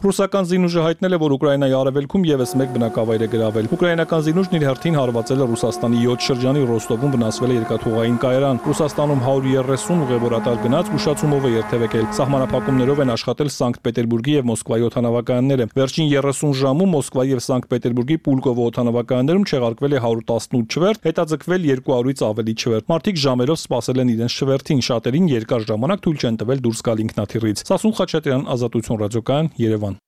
Ռուսական զինուժը հայտնել է, որ Ուկրաինայի արևելքում եւս մեկ բնակավայր է գրավել։ Ուկրաինական զինուժն իր հերթին հարվածել է Ռուսաստանի յոթ շրջանի Ռոստովում վնասվել է երկաթուղային կայարան։ Ռուսաստանում հարյուր երեսուն ուղևորատար գնաց ուշացումով է երթևեկել։ Սահմանափակումներով են աշխատել Սանկտ Պետերբուրգի եւ Մոսկվայի օդանավակայանները։ Վերջին երեսուն ժամում Մոսկվայի եւ Սանկտ Պետերբուրգի Պուլկովո օդանավակայաններում չեղարկվել է հարյուր տասնութ չվերթ, հետաձգվել երկու հարյուրից ավելի չվերթ։ Մարդիկ ժամերով սպասել են իրենց չվերթին, շատերին երկար ժամանակ թույլ չեն տվել դուրս գալ ինքնաթիռից։ Սասուն Խաչատրյան, Ազատություն ռադիոկայան, Երևան։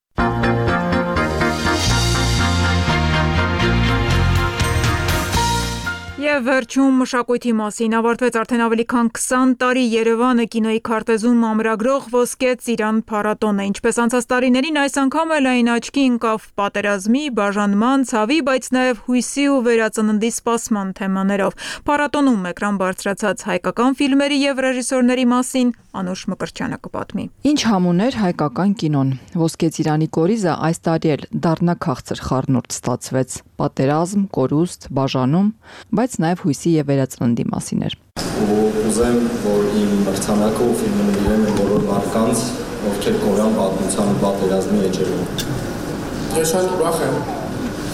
Եվ վերջում մշակույթի մասին ավարտվեց արդեն ավելի քան քսան տարի Երևանը կինոյի քարտեզում ամրագրող Ոսկե ծիրան փառատոնը, ինչպես անցած տարիներին այս անգամ էլ այն աչքի ընկավ պատերազմի, բաժանման, ցավի, բայց նաև հույսի ու վերածննդի սպասման թեմաներով։ Փառատոնում էկրան բարձրացած հայկական ֆիլմերի եւ ռեժիսորների մասին Անուշ Մկրտչյանը կպատմի։ Ինչ համուներ հայկական կինոն։ Ոսկե ծիրանի կորիզը այս տարի էլ դառնա քաղցր խառնուրդ ստացվեց։ Պատերազմ, կորուստ, բաժանում, բայց նաև հույսի եւ վերածննդի մասին էր։ Ու ուզեմ, որ իմ մրցանակը ու ֆիլմը նվիրեմ այն բոլոր մարդկանց, ովքեր կորան պատմության ու պատերազմի էջերում։ Ես շատ ուրախ եմ։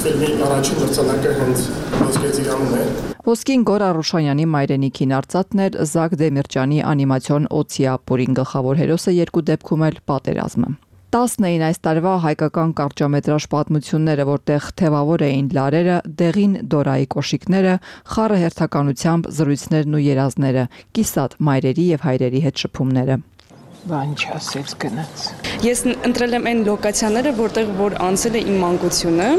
Ֆիլմի առաջին մրցանակը հենց Ոսկե ծիրանում է։ Ոսկին Գոր Արուշանյանի մայրենիքին արծաթն էր, Զակ Դեմիրճյանի անիմացիոն Օցիա Պորին գլխավոր հերոսը երկու դեպքում էլ պատերազմը։ տասն էին այս տարվա հայկական կարճամետրաժ պատմությունները, որտեղ թևավոր էին լարերը, դեղին դորայի կոշիկները, խառը հերթականությամբ զրույցներն ու երազները, կիսատ մայրերի եւ հայրերի հետ շփումները։ Բան չասեց գնաց։ Ես ընտրել եմ այն լոկացիաները, որտեղ որ անցել է իմ մանկությունը,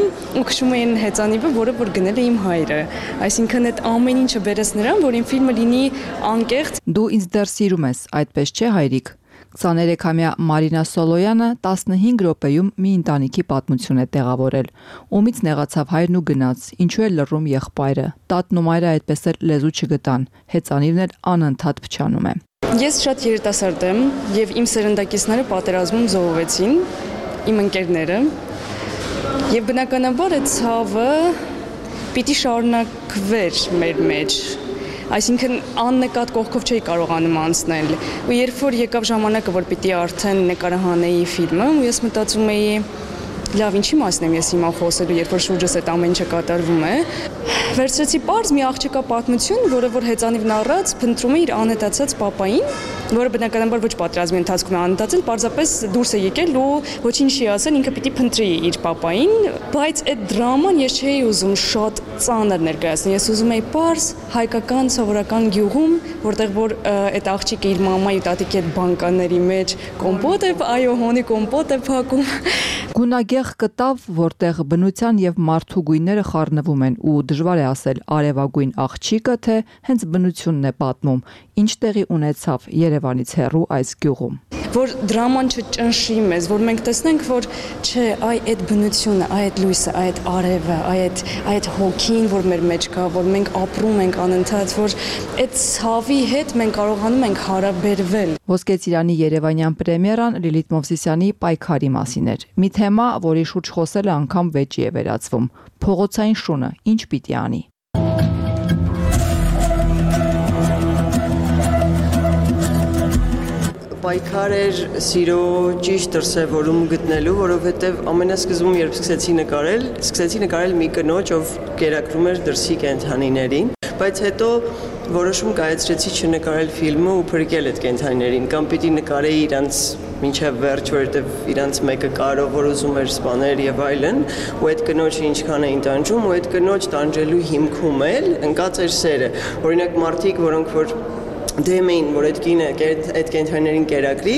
ու քշում էին հեծանիվը, որը որ գնել է իմ հայրը։ Այսինքն այդ ամեն ինչը բերես նրան, որ իմ ֆիլմը լինի անկեղծ։ Դու ինձ դեռ սիրում ես, այդպես չէ, հայրիկ։ քսաներեքամյա Մարինա Սոլոյանը տասնհինգ րոպեում մի ընտանիքի պատմություն է տեղավորել։ Ումից նեղացավ հայրն ու գնաց, ինչու է լռում եղբայրը։ Տատն ու մայրը այդպես էլ լեզու չգտան, հեծանիվն էլ անընդհատ փչանում է։ Ես շատ երիտասարդ եմ եւ իմ սերնդակիցները պատերազմում զոհվեցին, իմ ընկերները։ Եվ բնականաբար այդ ցավը պիտի շարունակվեր մեր մեջ։ Այսինքն աննկատ կողքով չէի կարողանում անցնել։ Ու երբ որ եկավ ժամանակը, որ պիտի արդեն նկարահանեի ֆիլմը, ու ես մտածում էի, լավ ինչի մասն եմ ես հիմա խոսելու, երբ որ շուրջս այդ ամեն ինչը կատարվում է։ Վերցրեցի պարզ մի աղջկա պատմություն, որը որ հեծանիվն առած փնտրում է իր անհետացած պապային, որը բնականաբար ոչ պատերազմի ընթացքում է անհետացել, պարզապես դուրս է եկել ու ոչինչ չի ասել, ինքը պիտի փնտրի իր պապային, բայց այդ դրաման ես չէի ուզում շատ ծանր ներկայացնել։ Ես ուզում էի պարզ հայկական սովորական գյուղում, որտեղ որ այդ աղջիկը իր մամայի ու տատիկի այդ բանկաների մեջ կոմպոտ է, այո, հոնի կոմպոտ է փակում։ Գունագեղ կտավ, որտեղ բնության եւ մարդու գույները խառնվում են ու դժվար է ասել արևագույն աղջիկը, թե հենց բնությունն է պատմում, ինչ տեղի ունեցավ Երևանից հեռու այս գյուղում։ Որ դրաման չճնշի մեզ, որ մենք տեսնենք, որ չէ, այ այդ բնությունը, այ այդ լույսը, այ այդ արևը, այ այդ այդ հոգին, որ մեր մեջ կա, որ մենք ապրում ենք անընդհատ, որ այդ ցավի հետ մենք կարողանում ենք հարաբերվել։ Ոսկե ծիրանի երևանյան պրեմիերան Լիլիթ Մովսիսյանի պայքարի մասին էր։ Մի թեմա, որի շուրջ խոսելը անգամ վեճի է վերածվում։ Փողոցային շունը ինչ պիտի անի։ Պայքար էր սիրո ճիշտ դրսևորում գտնելու, որովհետև ամենասկզբում երբ սկսեցի նկարել, սկսեցի նկարել մի կնոջ, ով կերակրում էր դրսի կենդանիներին, բայց հետո որոշում կայացրեցի չնկարել ֆիլմը ու փրկել այդ կենդանիներին, կամ պիտի նկարեի իրանց մինչև վերջ, որովհետև իրանց մեկը կարող որ ուզում էր սպանել եւ այլն, ու այդ կնոջը ինչքան էին տանջում, ու այդ կնոջ տանջելու հիմքում էլ ընկած էր սերը։ Օրինակ մարդիկ, որոնք որ դեմ էին, որ այդ կինը այդ կենդանիներին կերակրի,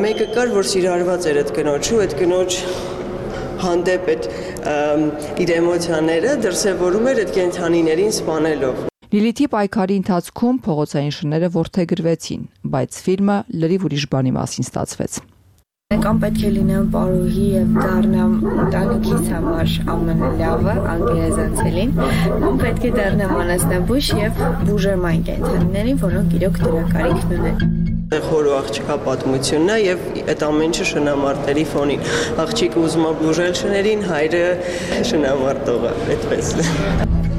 մեկը կար, որ սիրարված էր այդ կնոջը, այդ կնոջ հանդեպ այդ իր էմոցիաները դրսևորում էր այդ կենդանիներին սպանելով։ Լիլիթի պայքարի ընթացքում փողոցային շները որդեգրվեցին, բայց ֆիլմը լրիվ ուրիշ բանի մասին ստացվեց։ Կամ պետք է լինեմ պարուհի եւ դառնամ ընտանիքիս համար ամենալավը, անգերեզանցելին, կամ պետք է դառնամ անասնաբույժ եւ բուժեմ այն կենդանիներին, որոնք իրոք դրա կարիքն ունեն։ Խոր ու աղջկա պատմությունն է եւ այդ ամեն ինչը շնամարտերի ֆոնին։ Աղջիկը ուզում է բուժել շներին, հայրը շնամարտողը, այդպես։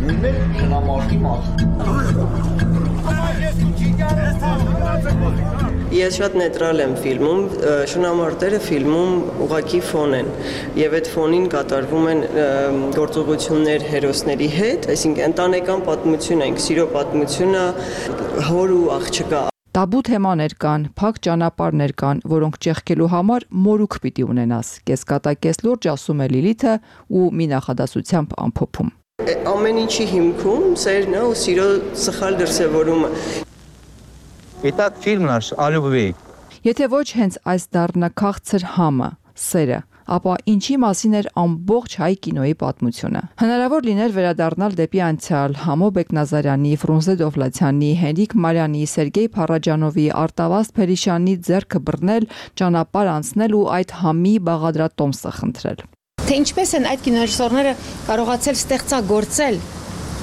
Նույնն շնամարտի մաս։ Ես շատ նեյտրալ եմ ֆիլմում, շնամարտերը ֆիլմում ուղղակի ֆոն են եւ այդ ֆոնին կատարվում են գործողություններ հերոսների հետ, այսինքն ընտանեկան պատմություն է, սիրո պատմությունը, հոր ու աղջկա։ Տաբու թեմաներ կան, փակ ճանապարհներ կան, որոնք ճեղքելու համար մորուք պիտի ունենաս։ Կեսկատակես լուրջ ասում է Լիլիթը ու մի նախադասությամբ ամփոփում։ Ամեն ինչի հիմքում սերն է ու սիրո սխալ դրսևորումը։ Իտակ ֆիլմն է о любви։ Եթե ոչ հենց այս դառնա քաղցր համը, սերը, ապա ինչի մասին էր ամբողջ հայ կինոյի պատմությունը։ Հնարավոր լիներ վերադառնալ դեպի անցյալ Համո Բեկնազարյանի, Ֆրունզե Դովլաթյանի, Հենրիկ Մարյանի, Սերգեյ Փարաջանովի, Արտավազդ Փերիշյանի ձեռքը բռնել, ճանապարհ անցնել ու այդ համի բաղադրատոմսը խնդրել։ Թե ինչպես են այդ կինոռեժիսորները կարողացել ստեղծագործել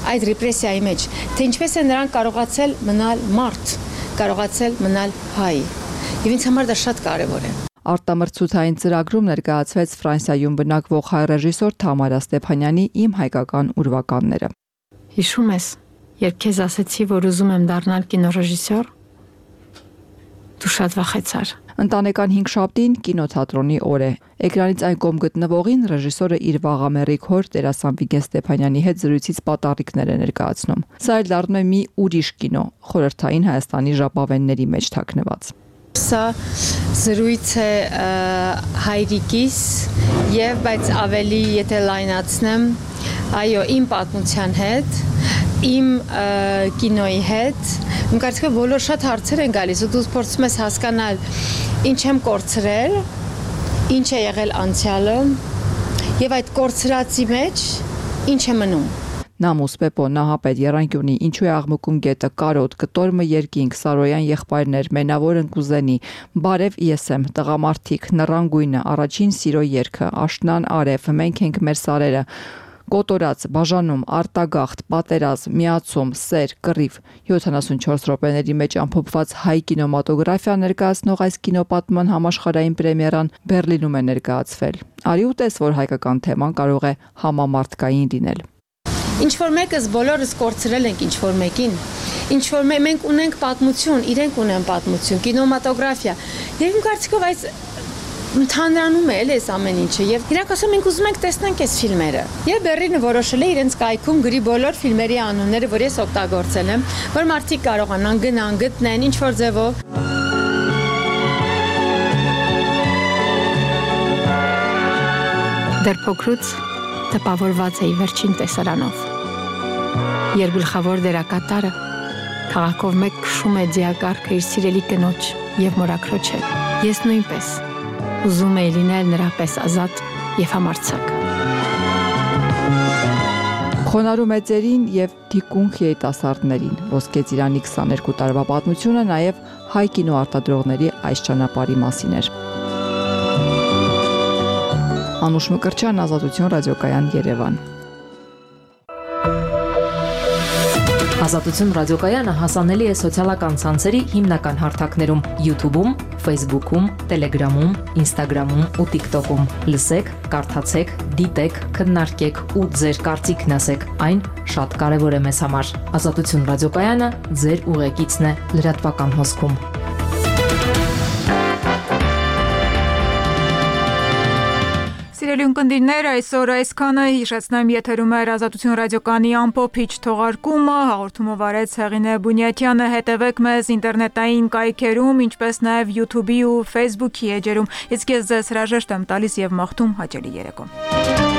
այդ ռեպրեսիայի մեջ, թե ինչպես են նրանք կարողացել մնալ մարդ, կարողացել մնալ հայ։ Եվ ինձ համար դա շատ կարևոր է։ Արտամրցութային ծրագրում ներկայացվեց Ֆրանսիայում բնակվող հայ ռեժիսոր Թամարա Ստեփանյանի Իմ հայկական ուրվականները։ Հիշում ես, երբ քեզ ասեցի, որ ուզում եմ դառնալ կինոռեժիսոր, դու շատ վախեցար։ Ընտանեկան հինգշաբթին կինոթատրոնի օր է։ Էկրանից այն կողմ գտնվողին ռեժիսորը իր վաղամեռիկ հոր Տերասան Վիգեն Ստեփանյանի հետ զրույցից պատառիկներ է ներկայացնում։ Սա էլ դառնում է մի ուրիշ կինո, խորհրդային Հայաստանի ժապավենների մեջ թաքնված։ Սա զրույց է հայրիկիս եւ բայց ավելի եթե լայնացնեմ, այո, իմ պատմության հետ, իմ կինոյի հետ, իմ կարծիքով բոլոր շատ հարցեր են գալիս ու դու փորձում ես հասկանալ ինչ եմ կորցրել, ինչ է եղել անցյալը եւ այդ կորցրածի մեջ ինչ է մնում։ Նամուս Պեպո Նահապետ Եռանկյունի ինչու է աղմկում գետը կարոտ կտորմը երկինք Սարոյան եղբայրներ մենավոր ընկուզենի բարև ես եմ տղամարդիկ նռանգույնը առաջին սիրո երգը աշնան արև մենք ենք մեր սարերը կոտորած բաժանում արտագաղթ պատերազմ միացում սեր կռիվ յոթանասունչորս րոպեների մեջ ամփոփված հայ կինեմատոգրաֆիա ներկայացնող այս կինոպատման համաշխարհային պրեմիերան Բերլինում է ներկայացվել։ Արի ու տես, որ հայկական թեման կարող է համամարտկային լինել։ Ինչ որ մեկս բոլորս կորցրել ենք ինչ որ մեկին, ինչ որ մենք ունենք պատմություն, իրենք ունեն պատմություն, կինեմատոգրաֆիա։ Եվ իմ կարծիքով այս ընդհանրանում է էս ամեն ինչը եւ իրանք ասում ենք ուզում ենք տեսնենք այս ֆիլմերը։ Եվ Բեռլինը որոշել է իրենց կայքում գրի բոլոր ֆիլմերի անունները, որ ես օգտագործել եմ, որ մարդիկ կարողանան գնան, գտնեն ինչ որ ձևով։ Դեռ փոքրուց տպավորված էի վերջին տեսարանով։ Երբ գլխավոր դերակատարը քաղաքով մեկ քշում է ձիակառքը իր սիրելի կնոջ եւ մորաքրոջը, ես նույնպես ուզում էի լինել նրա պես ազատ եւ համարձակ։ Խոնարհու մեծերին եւ թիկունք երիտասարդներին Ոսկե ծիրանի քսաներկու տարվա պատմությունը նաեւ հայ կինոարտադրողների այս ճանապարհի մասին էր։ Անուշ Մկրտչյան, Ազատություն, ռադիոկայան, Երևան։ Ազատություն ռադիոկայանը հասանելի է սոցիալական ցանցերի հիմնական հարթակներում՝ YouTube-ում, Facebook-ում, Telegram-ում, Instagram-ում ու TikTok-ում։ Լսեք, կարդացեք, դիտեք, քննարկեք ու ձեր կարծիքն ասեք։ Այն շատ կարևոր է մեզ համար։ Ազատություն ռադիոկայանը ձեր ուղեկիցն է լրատվական հոսքում։ Սիրելի ունկնդիրներ, այսօր այսքանը հիշեցնեմ եթերում էր Ազատություն ռադիոկայանի ամփոփիչ թողարկումը, հաղորդումը վարեց Հեղինե Բունյատյանը, հետևեք մեզ ինտերնետային կայքերում, ինչպես նաև YouTube-ի ու Facebook-ի էջերում, իսկ ես ձեզ հրաժեշտ եմ տալիս եւ մաղթում հաճելի երեկո։